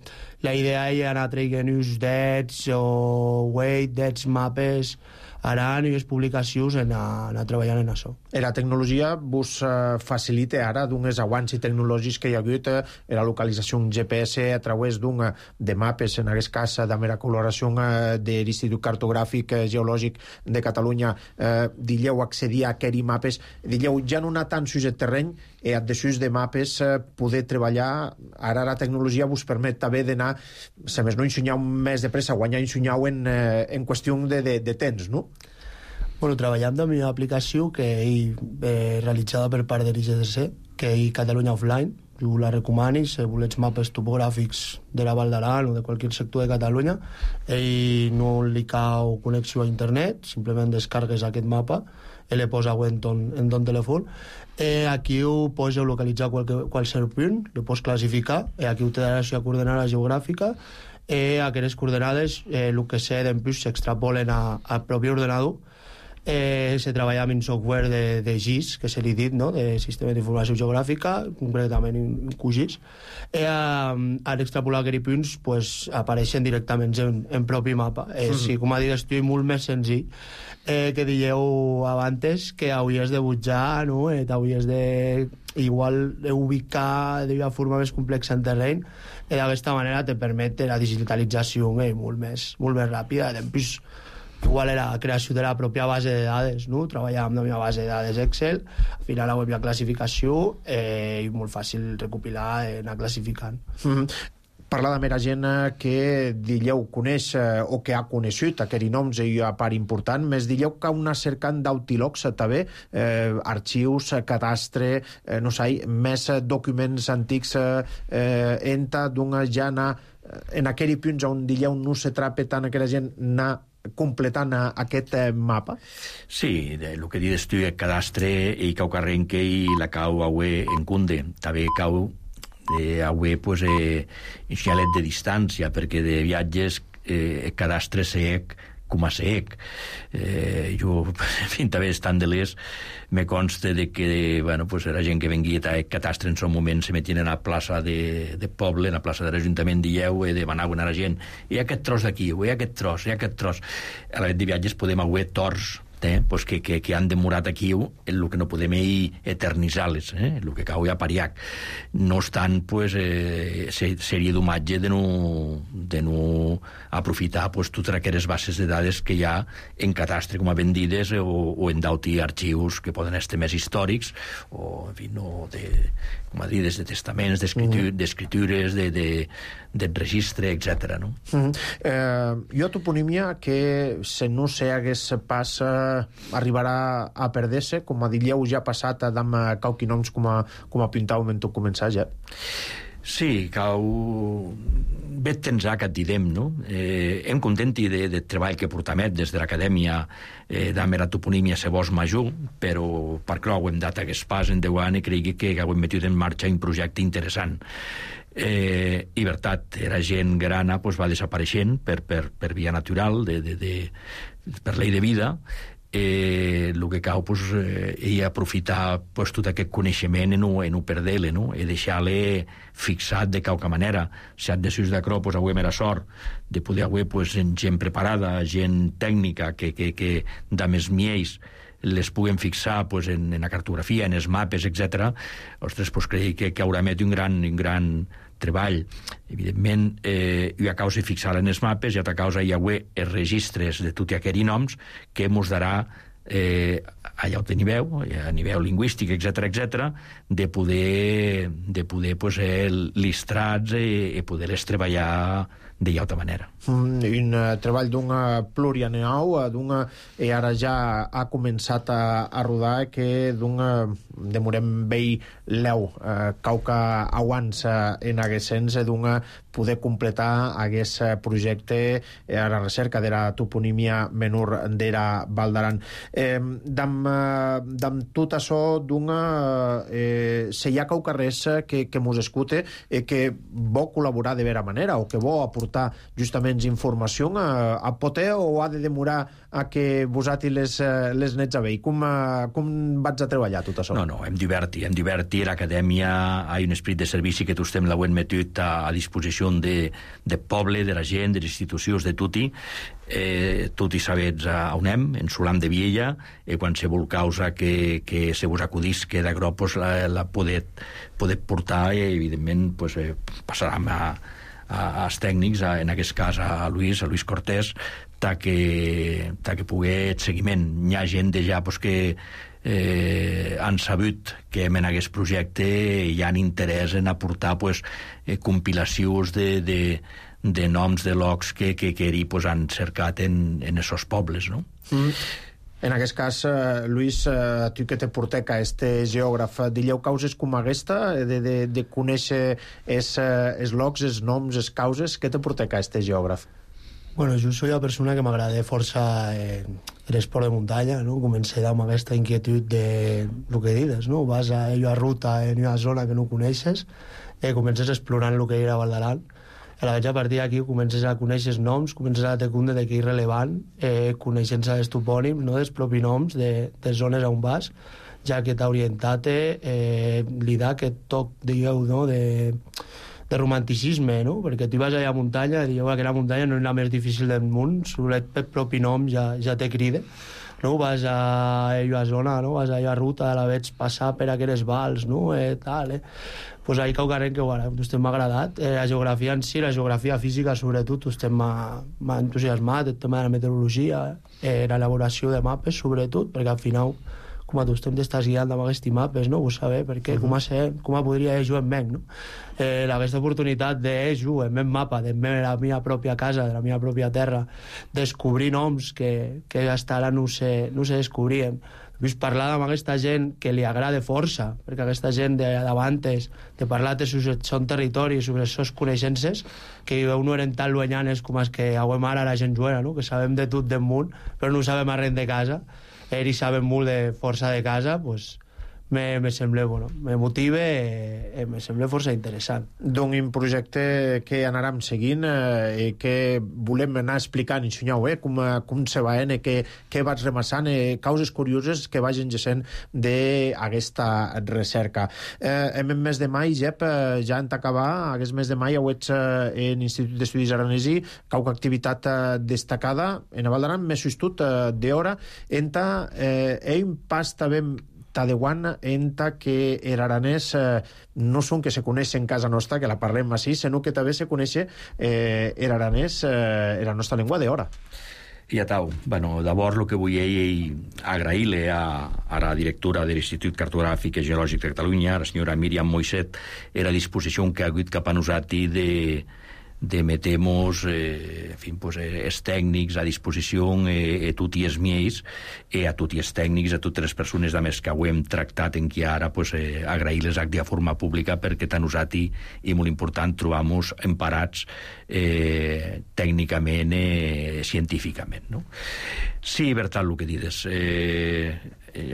la idea és anar traient uns dets o weight, dets, mapes, Aran i les publicacions en anar, anar treballant en això. La tecnologia vos uh, facilita ara d'unes avanços tecnològics que hi ha hagut uh, la localització G P S a través d'un de mapes, en aquest cas de la coloració uh, de l'Institut Cartogràfic uh, Geològic de Catalunya, uh, dilleu accedir a aquells mapes, dilleu ja no anar tant sus el terreny i a desús de mapes uh, poder treballar. Ara la tecnologia vos permet també d'anar, si més no ensenyar més de pressa, guanyar ensenyar en, uh, en qüestió de, de, de temps, no? Bueno, treballem amb una aplicació que és eh, realitzada per part de l'I G D C, que és Catalunya Offline. Jo la recomano, si volets mapes topogràfics de la Val d'Aran o de qualsevol sector de Catalunya, i no li cau connexió a internet, simplement descargues aquest mapa i le posa en ton, en ton telèfon. Eh, aquí ho pots localitzar qualque, qualsevol punt, lo pots classificar, i aquí ho te darà la coordenada geogràfica, i aquestes coordenades, eh, el que sé d'empús s'extrapolen al propi ordenador. Eh, se treballa amb un software de, de G I S, que se li dit, no?, de Sistema d'Informació Geogràfica, concretament un Q G I S. Eh, al extrapolar aquests punts pues, apareixen directament en, en propi mapa. Eh, mm-hmm. Sí, com a dir, estic molt més senzill eh, que dieu abans que hauries de butjar, no?, eh, t'hauries de igual ubicar d'una forma més complexa en terreny, i d'aquesta manera te permet la digitalització eh, molt, més, molt més ràpida. Després, igual era la creació de la pròpia base de dades, no? Treballàvem amb una base de dades Excel, al final la web hi ha classificació eh, i molt fàcil recopilar i anar classificant. Mm-hmm. parlar de mera gent que dilleu coneix o que ha conegut aquests noms i a part important, més dilleu que una cercant d'autilocs també, eh, arxius, cadastre, eh, no sé, més documents antics eh, enta d'una jana en aquell punts on dilleu no se trape tant aquella gent anar completant aquest mapa? Sí, el que dius tu, el cadastre i cau carrenque i la cau aue en cunde, també cau eh, aue pues, eh, xalet de distància, perquè de viatges eh, el cadastre sec com a sec. Eh, jo, en fi, també estant de l'est, me consta de que, bueno, pues era gent que venguia a cadastre en son moment, se metien a la plaça de, de poble, a la plaça de l'Ajuntament, dieu, i demanaven a la gent, hi ha aquest tros d'aquí, hi ha aquest tros, hi ha aquest tros. A la de viatges podem haver tors, eh, pues que, que, que han demorat aquí el que no podem eternitzar-les, eh, el que cau a pariac. No obstant, pues, eh, seria d'homatge de no, de no aprofitar pues, totes aquelles bases de dades que hi ha en cadastre com a vendides o, o en d'auti arxius que poden estar més històrics o, en fi, no, de, com a dir, des de testaments, d'escritures, de, de, de registre, etcètera. No? Mm-hmm. eh, jo toponímia que se no se hagués pas eh, arribarà a perder-se, com a dilleu ja passat amb cauqui noms com a, com a pintau en tot començar ja. Sí, cau... Bet tensar que et direm, no? Eh, em contenti de, de treball que portamet des de l'acadèmia eh, d'Amera toponímia se vos major, però per clar ho hem dat hagués pas en deu anys i cregui que hauem metut en marxa un projecte interessant. Eh, i veritat, era gent grana pues, va desapareixent per, per, per via natural, de, de, de, per llei de vida. Eh, el que cau pues, eh, i aprofitar pues, tot aquest coneixement i no, no perdre-le, no? I deixar-le fixat de qualque manera. Si has de sus d'acrò, pues, avui era sort de poder haver pues, gent preparada, gent tècnica que, que, que de més miells les puguem fixar pues, en, en la cartografia, en els mapes, etcètera. Ostres, pues, crec que, que haurà met un gran, un gran treball. Evidentment, eh, hi ha causa fixar en els mapes, i altra causa hi ha els registres de tots aquests noms que ens darà eh, allà on niveu, a nivell lingüístic, etcètera, etcètera, de poder, de poder pues, eh, listrats i, i poder-les treballar de altra manera. Mm, un uh, treball d'un uh, plurianual, uh, d'un uh, i ara ja ha començat a, a rodar que d'un uh, demorem vei l'eu uh, cauca abans uh, en hagués sens d'un uh, poder completar hagués uh, projecte uh, a la recerca de la toponímia menor d'era Val d'Aran. Eh, d'am, uh, d'am tot això d'un uh, eh, se hi ha cauca res que, que mos escute eh, que vol col·laborar de vera manera o que vol aportar justament informació a, a poder o ha de demorar a que vosaltres les, les nets a veure? Com, com vaig a treballar tot això? No, no, hem divertit, hem divertit. L'acadèmia ha un esperit de servici que tots la hem metut a, a disposició de, de poble, de la gent, de les institucions, de tutti. Eh, tot i sabets a on anem, en Solam de Viella, i eh, qualsevol causa que, que se vos acudís que de gros pues, la, la poder, poder portar i, evidentment, pues, eh, passarà a als tècnics, a, en aquest cas a Luis, a Luis Cortés, ta que, ta que pugui seguiment. Hi ha gent de ja pues, que eh, han sabut que en aquest projecte hi ha interès en aportar pues, eh, compilacions de, de, de noms de locs que, que, que eri, pues, han cercat en, en esos pobles, no? Mm. En aquest cas, eh, Luis, eh, tu que te portec a este geògraf, dilleu causes com aquesta, de, de, de conèixer els es locs, els noms, les causes, què te portec a este geògraf? Bueno, jo soy una persona que m'agrada força eh, l'esport de muntanya, no? Comencé amb aquesta inquietud de lo que dius, no? Vas a una ruta en una zona que no coneixes, eh, comences explorant el que era Val d'Aran. A partir d'aquí comences a conèixer els noms, comences a tenir de què és rellevant, eh, coneixent els topònims, no? dels propis noms de, de zones on vas, ja que t'ha orientat eh, li da aquest toc, digueu, no? de, de romanticisme, no? Perquè tu vas allà a muntanya i dieu que la muntanya no és la més difícil del món, sobretot per propi nom ja, ja te crida. No? Vas a aquella zona, no? Vas a aquella ruta, la veig passar per aquelles vals, no? Eh, tal, eh? Pues ahí cau carrer que bueno, a m'ha agradat. Eh, la geografia en si, la geografia física sobretot, a m'ha entusiasmat, el tema de la meteorologia, eh, l'elaboració de mapes sobretot, perquè al final com a tu t'estàs guiant amb aquests mapes, no? Vull saber per què, uh-huh. com, a ser, com a podria jugar en menys, no? Eh, aquesta oportunitat de jugar en el mapa, de la meva pròpia casa, de la meva pròpia terra, descobrir noms que, que hasta ara no se, no se descobrien. Vull parlar amb aquesta gent que li agrada força, perquè aquesta gent d'abans, de parlar de son territori, sobre les seves coneixences, que no eren tan lluenyanes com els que avui ara la gent juega, no? Que sabem de tot del món, però no sabem res de casa. Ells saben molt de força de casa, doncs me, me sembla, bueno, me motiva i me sembla força interessant. D'un projecte que anàrem seguint i eh, que volem anar explicant, ensenyau, eh, com, com se va, eh, que, que vaig remassant, eh, causes curioses que vagin gessent d'aquesta recerca. Eh, en el mes de mai, Jep, eh, ja en t'acabar, aquest mes de mai heu ets eh, en l'Institut d'Estudis Aranesi, cauca activitat eh, destacada, en a Val d'Aran, més sustut eh, d'hora, enta eh, ein pas també Tadewan enta que el aranès eh, no són que se coneix en casa nostra, que la parlem així, sinó que també se coneix eh, el aranès, eh, la nostra llengua d'hora. I a tau, bueno, d'abord el que vull agrair-li a, a la directora de l'Institut Cartogràfic i Geològic de Catalunya, la senyora Míriam Moixet, era a disposició que ha hagut cap a nosaltres de de metemos eh, en fin, pues, eh, els tècnics a disposició eh, a tots els miei i a tots els tècnics, a totes les persones a més que ho hem tractat en qui ara pues, eh, agrair-les de forma pública perquè tant nosaltres i molt important trobam-nos emparats eh, tècnicament eh, científicament, no? Sí, veritat el que dius, eh,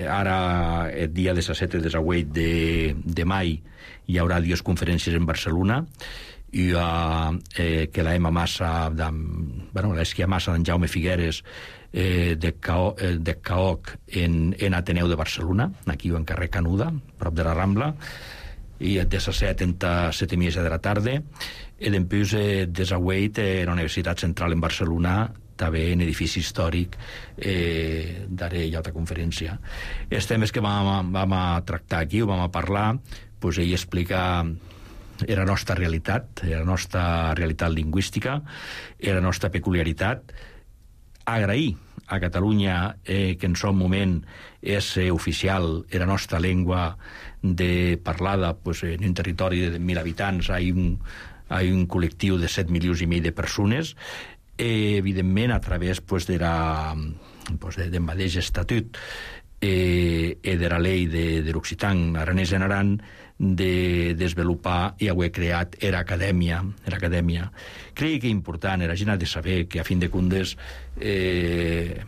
ara el dia disset i disset de, de mai hi haurà dues conferències en Barcelona. Hi ha eh, que la Emma Massa, de, bueno, l'esquia Massa d'en Jaume Figueres eh, de, Cao, eh, de Caoc en, en Ateneu de Barcelona, aquí en carrer Canuda, prop de la Rambla, i de les set a set i mitja de la tarda, i després eh, de Zaweit, eh, la Universitat Central en Barcelona, també en edifici històric eh, daré ja altra conferència. Els temes que vam, vam a tractar aquí, o vam a parlar, pues, ell explica era la nostra realitat, era la nostra realitat lingüística, era la nostra peculiaritat. Agrair a Catalunya eh, que en son moment és eh, oficial, era la nostra llengua de parlada pues, en un territori de mil habitants, hi ha un, hi ha un col·lectiu de set milions i mig de persones, eh, evidentment a través pues, de la, pues, de, del mateix estatut eh, i de la llei de, de l'Occitan aranès en Aran, de desenvolupar i haver creat era acadèmia, era acadèmia. Crec que és important, la gent ha de saber que a fin de comptes eh,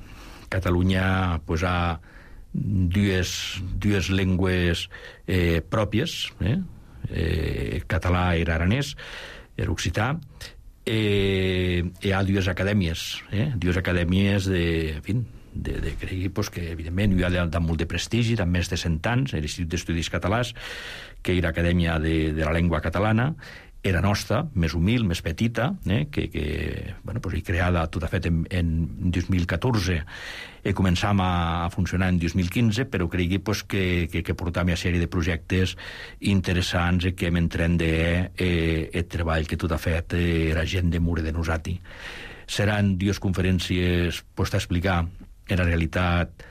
Catalunya pues, ha dues, dues llengües eh, pròpies, eh? Eh, català i aranès, l'occità, eh, hi ha dues acadèmies, eh? dues acadèmies de, en fi, de, de creure pues, que evidentment hi ha de, de molt de prestigi, de més de cent anys, l'Institut d'Estudis Catalans, que era l'Acadèmia de, de la Llengua Catalana, era nostra, més humil, més petita, eh, que, que bueno, pues, creada tot a fet en, en dos mil catorze i començam a, a funcionar en dos mil quinze, però cregui pues, que, que, que portam una sèrie de projectes interessants i que m'entrende eh, el treball que tot a fet eh, la gent de Mure de Nosati. Seran dues conferències pues, a explicar en la realitat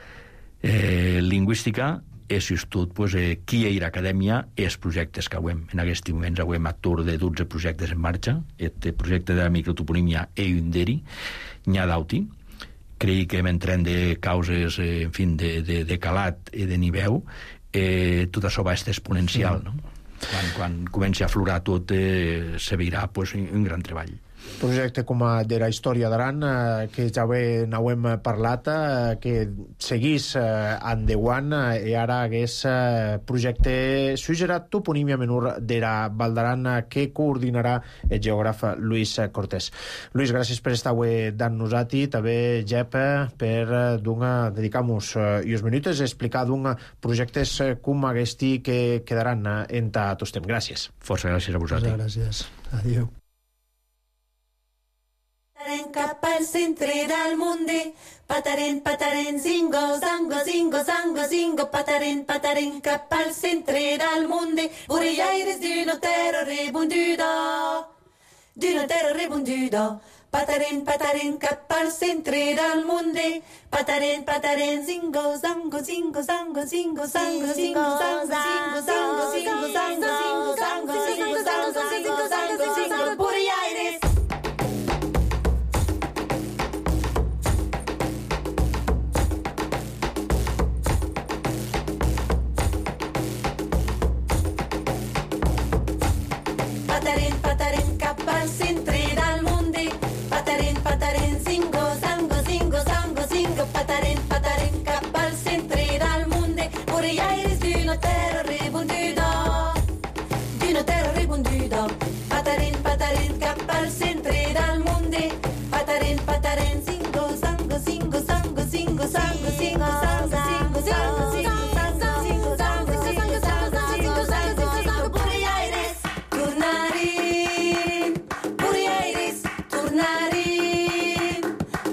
eh, lingüística i, sobretot, pues, eh, qui hi ha acadèmia i els projectes que hem. En aquests moments hem actor de dotze projectes en marxa. El projecte de la microtoponímia i un d'eri, n'hi ha d'auti. Crec que m'entren de causes eh, en fin, de, de, de calat i de nivell. Eh, tot això va estar exponencial. Sí. No? Quan, quan comenci a aflorar tot, eh, se veurà pues, un gran treball. Projecte com a de la història d'Aran, eh, que ja bé n'hem parlat, eh, que seguís eh, endeuant eh, i ara hagués eh, projecte sugerat toponímia menor de la Val d'Aran eh, que coordinarà el geògraf Luis Cortés. Luis, gràcies per estar avui amb nosaltres, també Jep per eh, dedicar-nos eh, uns minuts a explicar d'un projectes eh, com aquests que quedaran eh, en tot temps. Gràcies. Força gràcies a vosaltres. Força gràcies. Adéu. Pataren cap al centre del mundo, pataren, pataren, zingo, zango, zingo, zango, zingo, pataren, pataren cap al centre del mundo, Boreaires d'une terre rebondida, d'une terre rebondida, Pataren, pataren, cap al centre del munder. Pataren, pataren, zingo, zango, zingo, zango, zingo, zango, zingo, zango, zingo, zango, zingo, zango, zingo, zango, zingo, zango, zingo, zango, zingo, Buenos Aires. Pataren, pataren, cap al centre del munder. Pataren, pataren, zingo, zango, zingo, zango, zingo. Pataren, pataren, cap al centre del munder. Buenos Aires d'una terra rebonduda, d'una terra rebonduda. Pataren, pataren, cap al centre del munder. Pataren, pataren, zingo, zango, zingo, zango, zingo, zango, zingo, zango, zingo, zango, zingo, zango, zingo, zango, zingo, zango, zingo, zango, zingo, Buenos Aires. Tornarin, Buenos Aires, tornarin,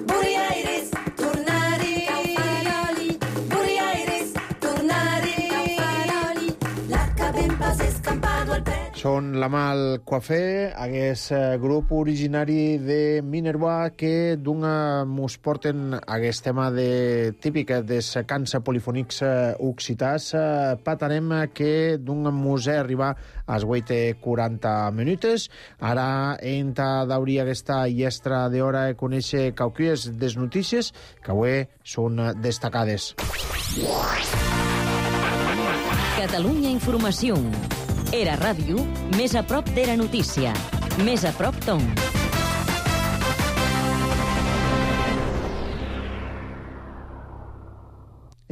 Buenos Aires, tornarin, Caufaroli, Buenos Aires, tornarin, Caufaroli, l'acabem pas escampado al pet. Són la Mal Coafé, aquest eh, grup originari de Minerva que d'una mos porten aquest tema de, típic des cants polifònics eh, occitans. Eh, patarem que d'un museu arribar als vuit i quaranta minuts. Ara entra d'obrir aquesta llestra d'hora de conèixer cauquies des notícies que avui són destacades. Catalunya Informació. Era ràdio, més a prop d'Era Notícia. Més a prop Tom.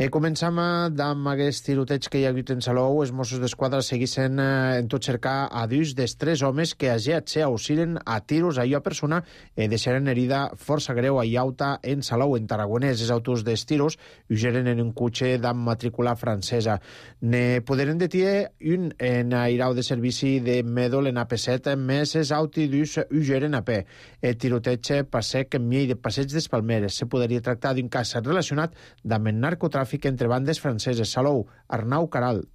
E començam amb aquest tiroteig que hi ha hagut en Salou. Els Mossos d'Esquadra seguissin eh, en tot cercar a dos dels tres homes que agiat se auxilen a tiros a lla persona e deixaren herida força greu a Iauta en Salou, en Tarragonès. Els autors dels tiros ugeren en un cotxe d'am matrícula francesa. Ne poderen detir un en airau de servici de Medol en A P set, més els autidus ugeren a peu. El tiroteig passec en miei de passeig des Palmeres. Se podria tractar d'un cas relacionat amb el narcotràfic entre bandes franceses. Salou, Arnau Caral.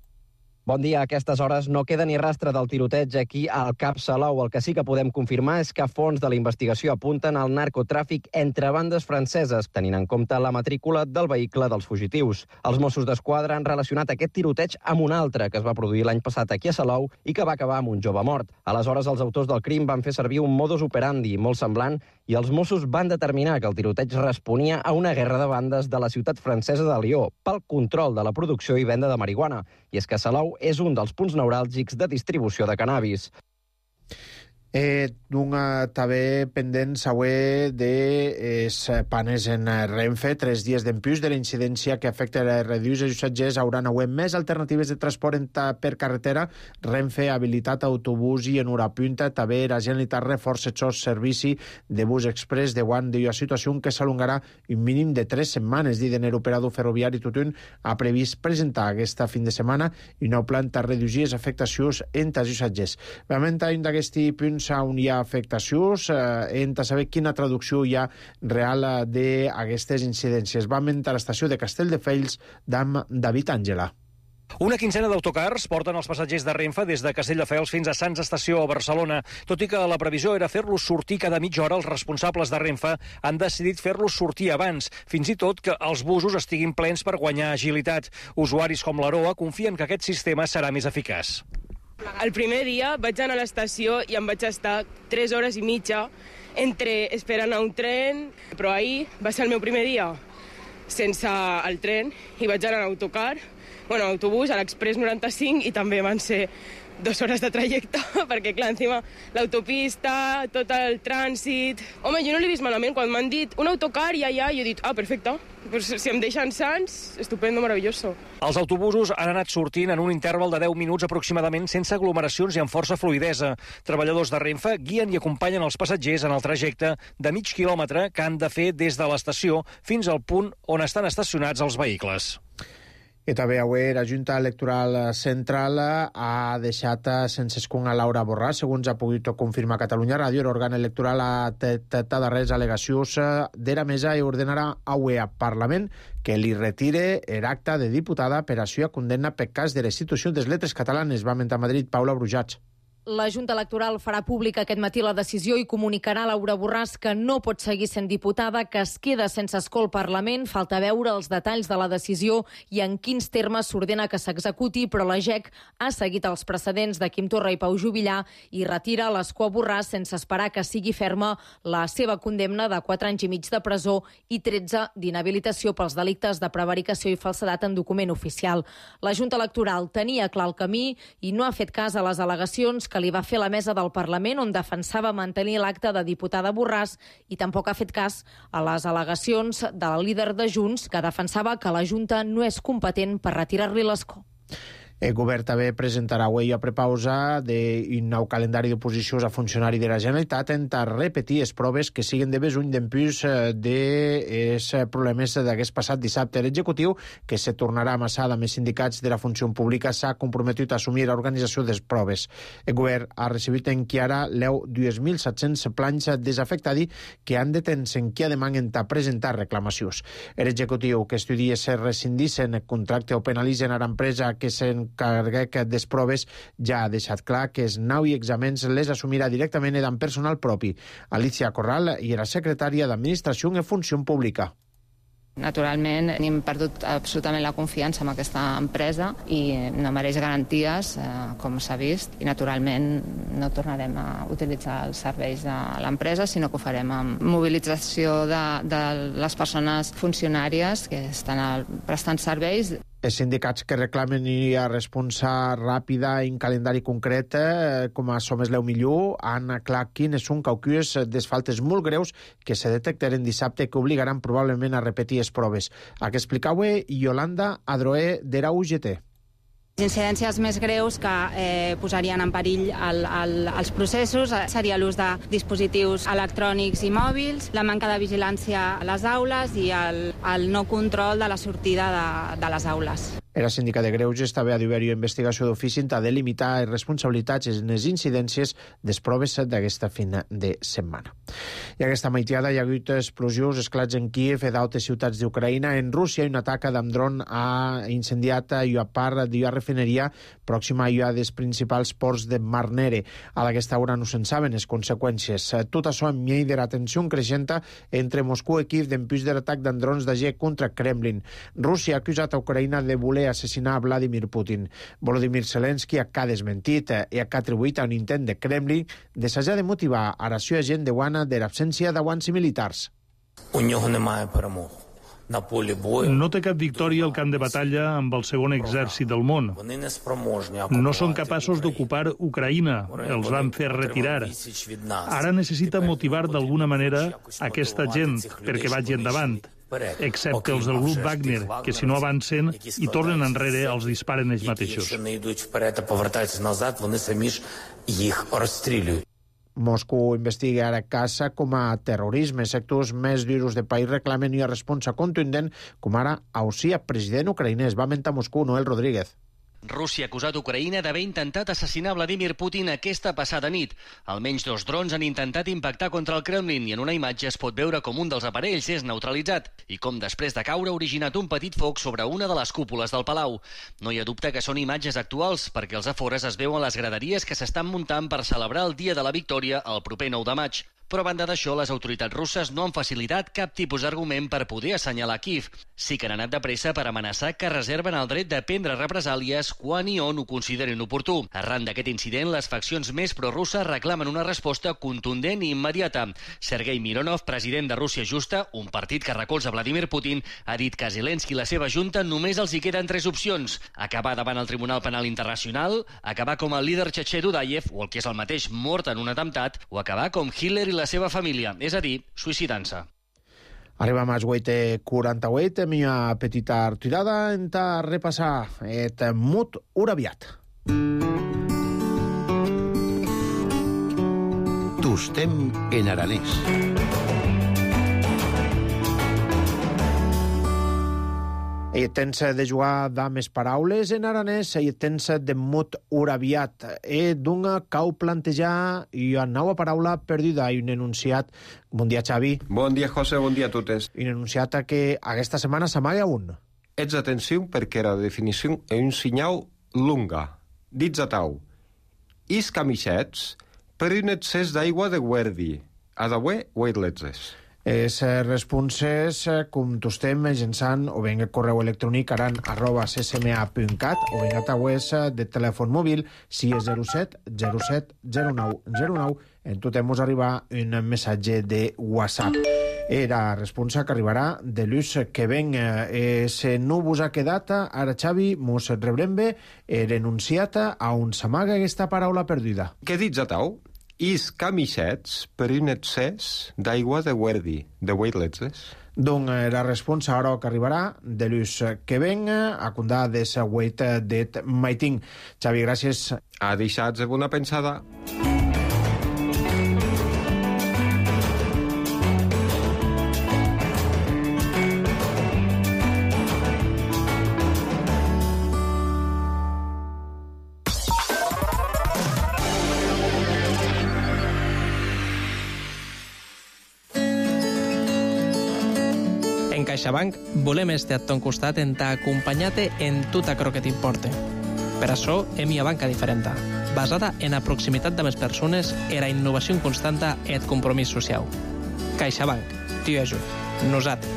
Bon dia. A aquestes hores no queda ni rastre del tiroteig aquí al Cap Salou. El que sí que podem confirmar és que fons de la investigació apunten al narcotràfic entre bandes franceses, tenint en compte la matrícula del vehicle dels fugitius. Els Mossos d'Esquadra han relacionat aquest tiroteig amb un altre que es va produir l'any passat aquí a Salou i que va acabar amb un jove mort. Aleshores, els autors del crim van fer servir un modus operandi molt semblant i els Mossos van determinar que el tiroteig responia a una guerra de bandes de la ciutat francesa de Lió pel control de la producció i venda de marihuana. I és que Salou és un dels punts neuràlgics de distribució de cannabis. Eh, una també pendent següent de es panes en Renfe, tres dies d'empús de la incidència que afecta a reduïts els passatgers hauran avui més alternatives de transport per carretera. Renfe ha habilitat autobús i en hora punta també la Generalitat reforça el servici de bus express de guant de la situació que s'alongarà un mínim de tres setmanes. Diden l'operador ferroviari Tutun ha previst presentar aquesta fin de setmana un nou plan per reduir les afectacions entre els passatgers. Realment, un d'aquests punts on hi ha afectacions, eh, hem de saber quina traducció hi ha real d'aquestes incidències. Vam entrar a l'estació de Castelldefels d'en David Àngela. Una quincena d'autocars porten els passatgers de Renfe des de Castelldefels fins a Sants Estació a Barcelona. Tot i que la previsió era fer-los sortir cada mitja hora, els responsables de Renfe han decidit fer-los sortir abans, fins i tot que els busos estiguin plens per guanyar agilitat. Usuaris com l'Aroa confien que aquest sistema serà més eficaç. El primer dia vaig anar a l'estació i em vaig estar tres hores i mitja entre esperant a un tren, però ahir va ser el meu primer dia sense el tren i vaig anar a l'autocar, bueno, a l'autobús, a l'Express noranta-cinc, i també van ser dues hores de trajecte, perquè, clar, encima l'autopista, tot el trànsit... Home, jo no l'he vist malament. Quan m'han dit un autocar i allà, jo he dit, ah, perfecte, pues si em deixen Sants, estupendo, maravilloso. Els autobusos han anat sortint en un interval de deu minuts aproximadament sense aglomeracions i amb força fluidesa. Treballadors de Renfe guien i acompanyen els passatgers en el trajecte de mig quilòmetre que han de fer des de l'estació fins al punt on estan estacionats els vehicles. I també avui la Junta Electoral Central ha deixat sense escon a Laura Borràs. Segons ha pogut confirmar Catalunya Ràdio, l'òrgan electoral ha detectat darreres al·legacions de la mesa i ordenarà avui al Parlament que li retire l'acte de diputada per a suya condemna per cas de restitució des lletres catalanes. Va mentar a Madrid Paula Brujats. La Junta Electoral farà pública aquest matí la decisió i comunicarà a Laura Borràs que no pot seguir sent diputada, que es queda sense escó al Parlament. Falta veure els detalls de la decisió i en quins termes s'ordena que s'executi, però la G E C ha seguit els precedents de Quim Torra i Pau Juvillà i retira l'escó a Borràs sense esperar que sigui ferma la seva condemna de quatre anys i mig de presó i tretze d'inhabilitació pels delictes de prevaricació i falsedat en document oficial. La Junta Electoral tenia clar el camí i no ha fet cas a les al·legacions que que li va fer la mesa del Parlament, on defensava mantenir l'acte de diputada Borràs, i tampoc ha fet cas a les al·legacions del líder de Junts, que defensava que la Junta no és competent per retirar-li l'escó. El govern també presentarà avui a prepausa d'un nou calendari d'oposicions a funcionari de la Generalitat en repetir les proves que siguen de besuny d'empús dels problemes d'aquest passat dissabte. L'executiu, que se tornarà amassada amb els sindicats de la funció pública, s'ha comprometut a assumir l'organització de les proves. El govern ha recibit en Chiara l'eu dos mil set-cents planys desafectadi que han de tenir en qui demanen a presentar reclamacions. L'executiu que estudia si rescindissen el contracte o penalitzen a l'empresa que se'n càrrec des proves ja ha deixat clar que els nou exàmens les assumirà directament amb personal propi. Alicia Corral i era secretària d'Administració i Funció Pública. Naturalment, hem perdut absolutament la confiança en aquesta empresa i no mereix garanties, eh, com s'ha vist, i naturalment no tornarem a utilitzar els serveis de l'empresa, sinó que ho farem amb mobilització de, de les persones funcionàries que estan prestant serveis. Els sindicats que reclamen i a responsa ràpida en calendari concret, eh, com a Som Esleu Millor, han aclarat quines són caucues des faltes molt greus que se detectaren dissabte que obligaran probablement a repetir les proves. A què explicava Yolanda Adroé d'Era U G T. Les incidències més greus que eh, posarien en perill el, el, els processos seria l'ús de dispositius electrònics i mòbils, la manca de vigilància a les aules i el, el no control de la sortida de, de les aules. La síndica de Greuges també ha d'haver-hi investigació d'ofici a delimitar les responsabilitats en les incidències des proves d'aquesta fin de setmana. I aquesta maitiada hi ha hagut explosions, esclats en Kíev i d'altres ciutats d'Ucraïna. En Rússia, un atac amb dron ha incendiat una part d'una refineria pròxima a una dels principals ports de Mar Nere. A aquesta hora no se'n saben les conseqüències. Tot això en mi de la tensió creixent entre Moscou i Kíev d'empús de l'atac d'en drons de G contra Kremlin. Rússia ha acusat a Ucraïna de voler assassinar a Vladimir Putin. Volodymyr Zelensky ha desmentit i ha atribuït a un intent de Kremlin d'assajar de motivar a la seva gent de guana de l'absència d'aguants militars. No té cap victòria al camp de batalla amb el segon exèrcit del món. No són capaços d'ocupar Ucraïna, els van fer retirar. Ara necessita motivar d'alguna manera aquesta gent perquè vagi endavant, excepte els del grup Wagner, que si no avancen i tornen enrere els disparen ells mateixos. Moscou investiga ara casa com a terrorisme. Sectors més durs del país reclamen una resposta contundent, com ara auxia president ucraïnès. Va mentar Moscou, Noel Rodríguez. Rússia ha acusat Ucraïna d'haver intentat assassinar Vladimir Putin aquesta passada nit. Almenys dos drons han intentat impactar contra el Kremlin i en una imatge es pot veure com un dels aparells és neutralitzat i com després de caure ha originat un petit foc sobre una de les cúpules del palau. No hi ha dubte que són imatges actuals perquè els afores es veuen les graderies que s'estan muntant per celebrar el Dia de la Victòria el proper nou de maig. Però a banda d'això, les autoritats russes no han facilitat cap tipus d'argument per poder assenyalar Kíev. Sí que han anat de pressa per amenaçar que reserven el dret de prendre represàlies quan i on ho considerin oportú. Arran d'aquest incident, les faccions més prorusses reclamen una resposta contundent i immediata. Sergei Mironov, president de Rússia Justa, un partit que recolza Vladimir Putin, ha dit que a Zelensky i la seva junta només els hi queden tres opcions: acabar davant el Tribunal Penal Internacional, acabar com el líder txetxè Dudayev, o el que és el mateix, mort en un atemptat, o acabar com Hitler i la seva família, és a dir, suïcidant-se. Arribem als vuit i quaranta-vuit, amb una petita retirada, hem de repassar el mot uraviat. Tostem en aranès. I tens de jugar dames paraules en aranès i tens de mot uraviat. E d'una cau plantejar i una nova paraula perduda i un enunciat. Bon dia, Xavi. Bon dia, José, bon dia a totes. Un enunciat que aquesta setmana s'amaga un. Ets atenció perquè la definició és un senyal lunga. Dits a tau. is camixets per un excés d'aigua de guerdi. Adaué, Weiletzes. Els responses, com tostem, mitjançant o ben el correu electrònic aran arroba ccma punt cat o ben a taues de telèfon mòbil si és zero set zero set zero nou zero nou en tot mos arribar un missatge de WhatsApp. Era responsa que arribarà de l'ús que ven. Eh, se no vos ha quedat, ara Xavi, mos rebrem bé, he renunciat a on s'amaga aquesta paraula perduda. Què dits a tau? Is camixets per un excés d'aigua de guerdi, de Weiletzes. Donc, la responsa ara que arribarà de l'ús que ven a condar de sa wait det maiting. Xavi, gràcies. A deixats de bona pensada. En CaixaBank volem estar a ton costat en t'acompanyar-te en tot aquello que t'importe. Per això hem una banca diferent, basada en la proximitat de les persones, en la innovació constanta i el compromís social. CaixaBank, t'hi ajut. Nosaltres.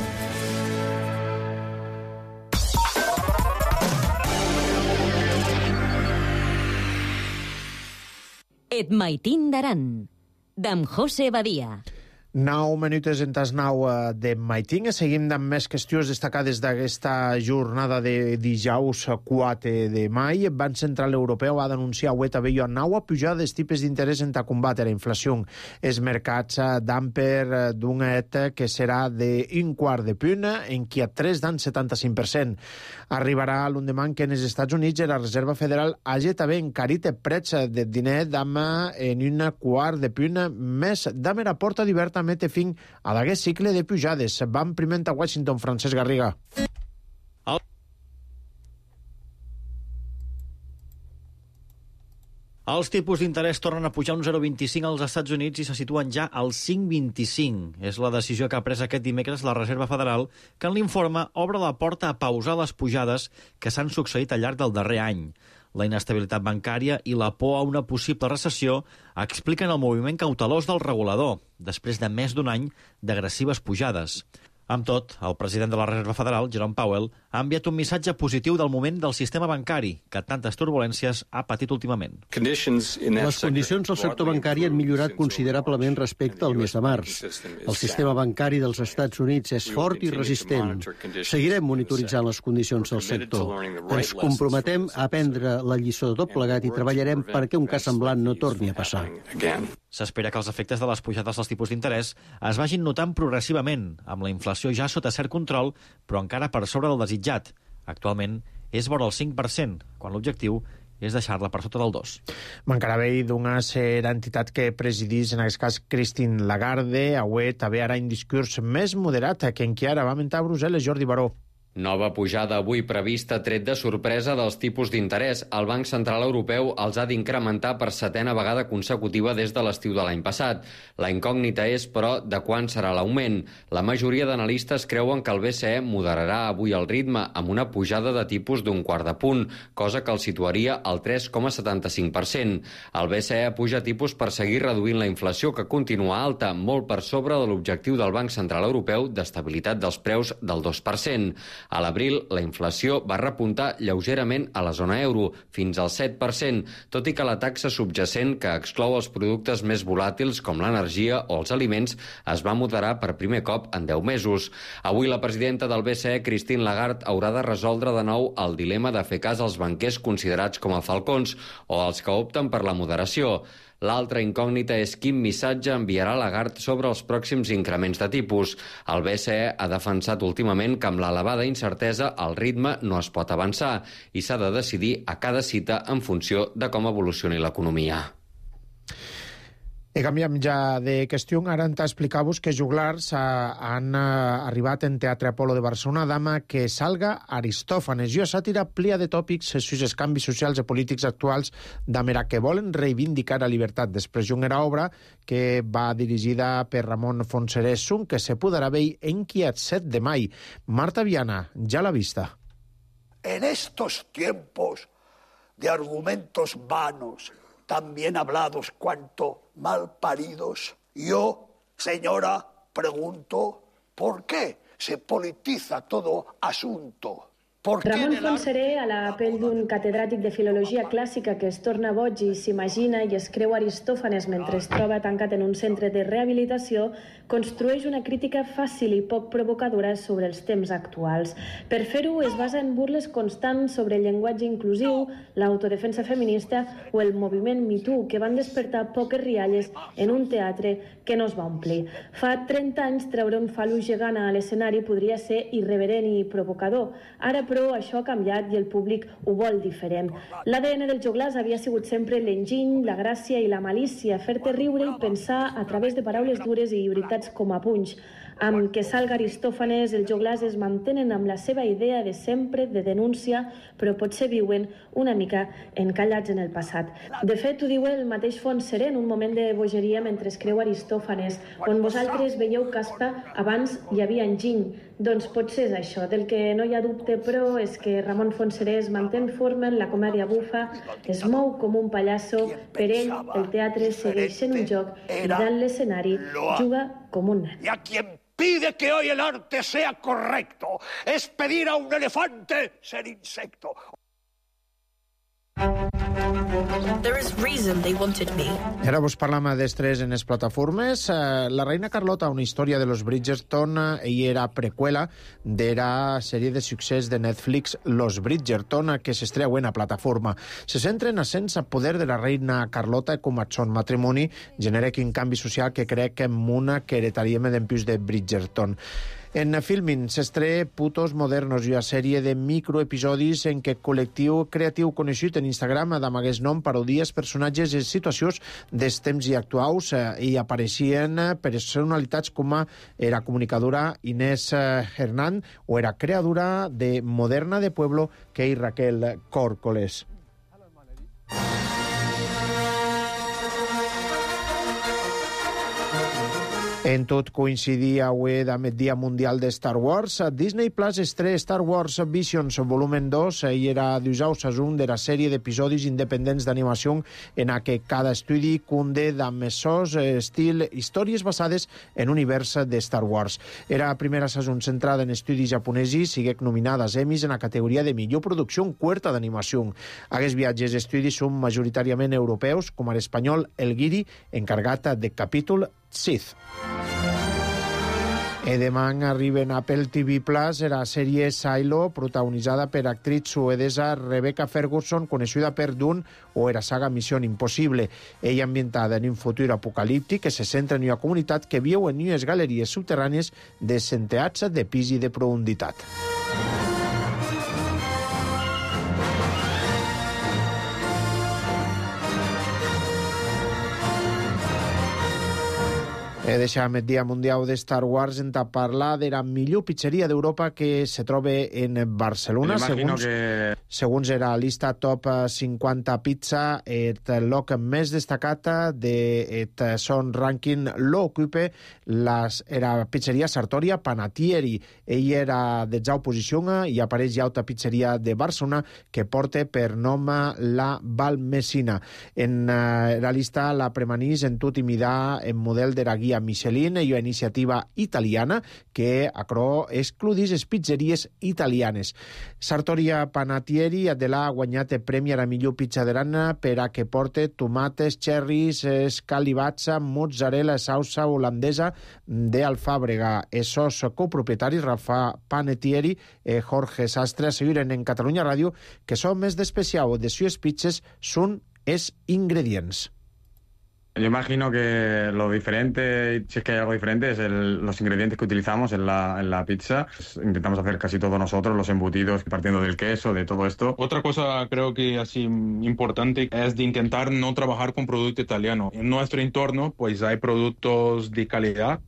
Et maitin d'Aran, d'en José Badia. Nou minutes en tas nou de Maiting. Seguim amb més qüestions destacades d'aquesta jornada de dijous quatre de maig. El Banc Central Europeu ha d'anunciar avui també una nova pujada dels tipus d'interès en combatre la inflació. Els mercats d'amper d'un et que serà d'un quart de punt, en qui a tres d'un setanta-cinc per cent. Arribarà l'endemà que en els Estats Units la Reserva Federal hagi també encarit el preu del diner d'am en un quart de punt més d'am la porta d'hiverta mete fin a d'aquest cicle de pujades. Vam primer a Washington, Francesc Garriga. Els tipus d'interès tornen a pujar un zero coma vint-i-cinc als Estats Units i se situen ja al cinc coma vint-i-cinc. És la decisió que ha pres aquest dimecres la Reserva Federal, que en l'informe obre la porta a pausar les pujades que s'han succeït al llarg del darrer any. La inestabilitat bancària i la por a una possible recessió expliquen el moviment cautelós del regulador, després de més d'un any d'agressives pujades. Amb tot, el president de la Reserva Federal, Jerome Powell, ha enviat un missatge positiu del moment del sistema bancari, que tantes turbulències ha patit últimament. Les condicions del sector bancari han millorat considerablement respecte al mes de març. El sistema bancari dels Estats Units és fort i resistent. Seguirem monitoritzant les condicions del sector. Ens comprometem a aprendre la lliçó de tot plegat i treballarem perquè un cas semblant no torni a passar. S'espera que els efectes de les pujades dels tipus d'interès es vagin notant progressivament, amb la inflació ja sota cert control, però encara per sobre del desitjat. Actualment és vora el cinc per cent, quan l'objectiu és deixar-la per sota del dos. Mancarà bé d'una ser entitat que presidís, en aquest cas, Christine Lagarde. Avui també ara un discurs més moderat que en qui ara va mentar a Brussel·les, Jordi Baró. Nova pujada avui prevista tret de sorpresa dels tipus d'interès. El Banc Central Europeu els ha d'incrementar per setena vegada consecutiva des de l'estiu de l'any passat. La incògnita és, però, de quan serà l'augment. La majoria d'analistes creuen que el B C E moderarà avui el ritme amb una pujada de tipus d'un quart de punt, cosa que el situaria al tres coma setanta-cinc per cent. El B C E puja tipus per seguir reduint la inflació, que continua alta, molt per sobre de l'objectiu del Banc Central Europeu d'estabilitat dels preus del dos per cent. A l'abril, la inflació va repuntar lleugerament a la zona euro, fins al set per cent, tot i que la taxa subjacent, que exclou els productes més volàtils com l'energia o els aliments, es va moderar per primer cop en deu mesos. Avui la presidenta del B C E, Christine Lagarde, haurà de resoldre de nou el dilema de fer cas als banquers considerats com a falcons o als que opten per la moderació. L'altra incògnita és quin missatge enviarà Lagarde sobre els pròxims increments de tipus. El B C E ha defensat últimament que amb l'elevada incertesa el ritme no es pot avançar i s'ha de decidir a cada cita en funció de com evolucioni l'economia. I canviem ja de qüestió. Ara hem d'explicar-vos que juglars han arribat en Teatre Apolo de Barcelona dama que salga Aristòfanes. I a sàtira plia de tòpics sus els canvis socials i polítics actuals d'amera que volen reivindicar la llibertat. Després d'una obra que va dirigida per Ramon Fonserés-Sun, que se podrà veure en qui el set de maig. Marta Viana, ja l'ha vista. En estos tiempos de argumentos vanos tan bien hablados cuanto mal paridos. Yo, señora, pregunto, ¿por qué se politiza todo asunto? Ramon Fontserè, a la pell d'un catedràtic de filologia clàssica que es torna boig i s'imagina i es creu Aristòfanes mentre es troba tancat en un centre de rehabilitació, construeix una crítica fàcil i poc provocadora sobre els temps actuals. Per fer-ho es basa en burles constants sobre el llenguatge inclusiu, l'autodefensa feminista o el moviment Me Too, que van despertar poques rialles en un teatre que no es va omplir. Fa trenta anys treure un fal·lus gegant a l'escenari podria ser irreverent i provocador. Ara, però, això ha canviat i el públic ho vol diferent. L'A D N del joglàs havia sigut sempre l'enginy, la gràcia i la malícia, fer-te riure i pensar a través de paraules dures i veritats com a punys. Amb que salga Aristòfanes, els joglars es mantenen amb la seva idea de sempre, de denúncia, però potser viuen una mica encallats en el passat. De fet, ho diu el mateix Fontserè en un moment de bogeria mentre es creu Aristòfanes, on vosaltres veieu caspa, abans hi havia enginy. Doncs potser és això. Del que no hi ha dubte, però, és que Ramon Fontserè es manté en forma en la comèdia bufa, es mou com un pallasso, per ell el teatre segueix sent un joc i dalt l'escenari juga com un nen. Y a quien pide que hoy el arte sea correcto es pedir a un elefante ser insecto. There is reason they wanted me. Ara vos parlam d'estrès en les plataformes. La reina Carlota, una història de los Bridgerton, i era preqüela de la sèrie de succés de Netflix Los Bridgerton, que s'estreuen a plataforma. Se centren a sense poder de la reina Carlota com a son matrimoni genera quin canvi social que crec en una que heretaríem d'empius de Bridgerton. En Filmin s'estrea Putos Modernos, una sèrie de microepisodis en què col·lectiu creatiu coneixut en Instagram d'amagués nom parodies personatges i situacions dels temps i actuals eh, i apareixien personalitats com era comunicadora Inés Hernán o era creadora de Moderna de Pueblo que és Raquel Córcoles. En tot coincidia avui amb el Dia Mundial de Star Wars. Disney Plus estrena Star Wars Visions volumen dos i era dijous un de la sèrie d'episodis independents d'animació en què cada estudi cunde amb mesors estil històries basades en univers de Star Wars. Era la primera saison centrada en estudis japonesos, siguec nominada als Emmys en la categoria de millor producció en curta d'animació. Aquests viatges d'estudis són majoritàriament europeus, com l'espanyol El Guiri, encarregat de capítol Sith. E demà arriben a Apple T V Plus la sèrie Silo, protagonitzada per actriz suedesa Rebecca Ferguson, coneguda per Dune o la saga Missió Impossible. Ella ambientada en un futur apocalíptic que se centra en una comunitat que viu en unes galeries subterrànies de centenars de pis i de profunditat. He deixat el Dia Mundial de Star Wars en parlar de la millor pizzeria d'Europa que se troba en Barcelona. Segons, que... segons era la llista Top cinquanta Pizza, el lloc més destacat de son rànquing l'ocupa la pizzeria Sartoria Panatieri. Ell era detzau posició i apareix ja altra pizzeria de Barcelona que porta per nom la Valmesina. En la llista la premanís en tot i mirar en model de la guia Michelin i una iniciativa italiana que acro excludís les pizzeries italianes. Sartoria Panatieri de l'ha guanyat el premi a la millor pizza d'Arana per a que porte tomates, cherries, escalivazza, mozzarella, salsa holandesa d'Alfàbrega. Els seus copropietaris, Rafa Panetieri i Jorge Sastre, asseguren en Catalunya Ràdio que són més d'especial de sus pizzas són els ingredients. Yo imagino que lo diferente, si es que hay algo diferente, es el, los ingredientes que utilizamos en la, en la pizza. Intentamos hacer casi todo nosotros, los embutidos, partiendo del queso, de todo esto. Otra cosa creo que así importante es de intentar no trabajar con producto italiano. En nuestro entorno pues hay productos de calidad.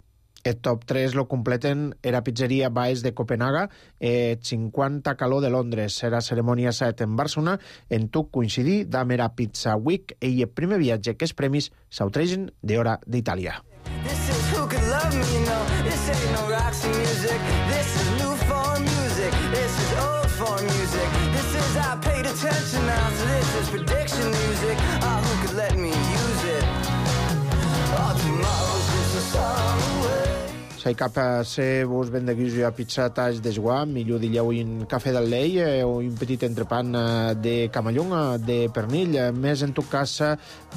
El top tres lo completen era pizzeria Baes de Copenhaga, eh, cinquanta calor de Londres. Era cerimònia set en Barcelona. En tot coincidir d'am era Pizza Week i el primer viatge que els premis s'autregen d'hora d'Itàlia. This is who could love me, no. This ain't no Roxy music. This is new form music. This is old for music. This is I paid attention now, so this is prediction music. Oh, who could let me use it? Oh, tomorrow's just a song away. Sai cap a ser vos ben de guiso a pizzatas de joa, millor dillau un cafè del lei eh, o un petit entrepan eh, de camallón, eh, de pernil. Eh, més en tot cas, eh,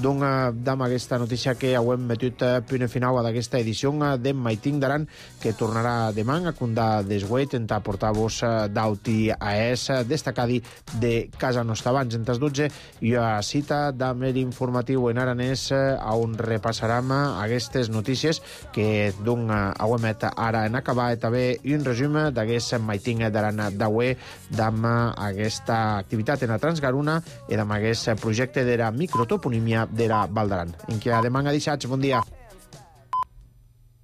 don eh, dam aquesta notícia que hauem metut eh, punt final d'aquesta edició eh, de Maiting d'Aran, que tornarà demà a condar desguet en portar-vos eh, d'auti a es eh, destacadi de casa nostra. Abans, entre les dotze, hi ha cita d'amer informatiu en aranès eh, on repassarem eh, aquestes notícies que don eh, met ara en acabar i també un resum d'aquest Maiting d'Aran d'Aue d'amb aquesta activitat en la Transgaruna i d'amb aquest projecte de la microtoponímia de la Val d'Aran. En què demà a dissats, bon dia.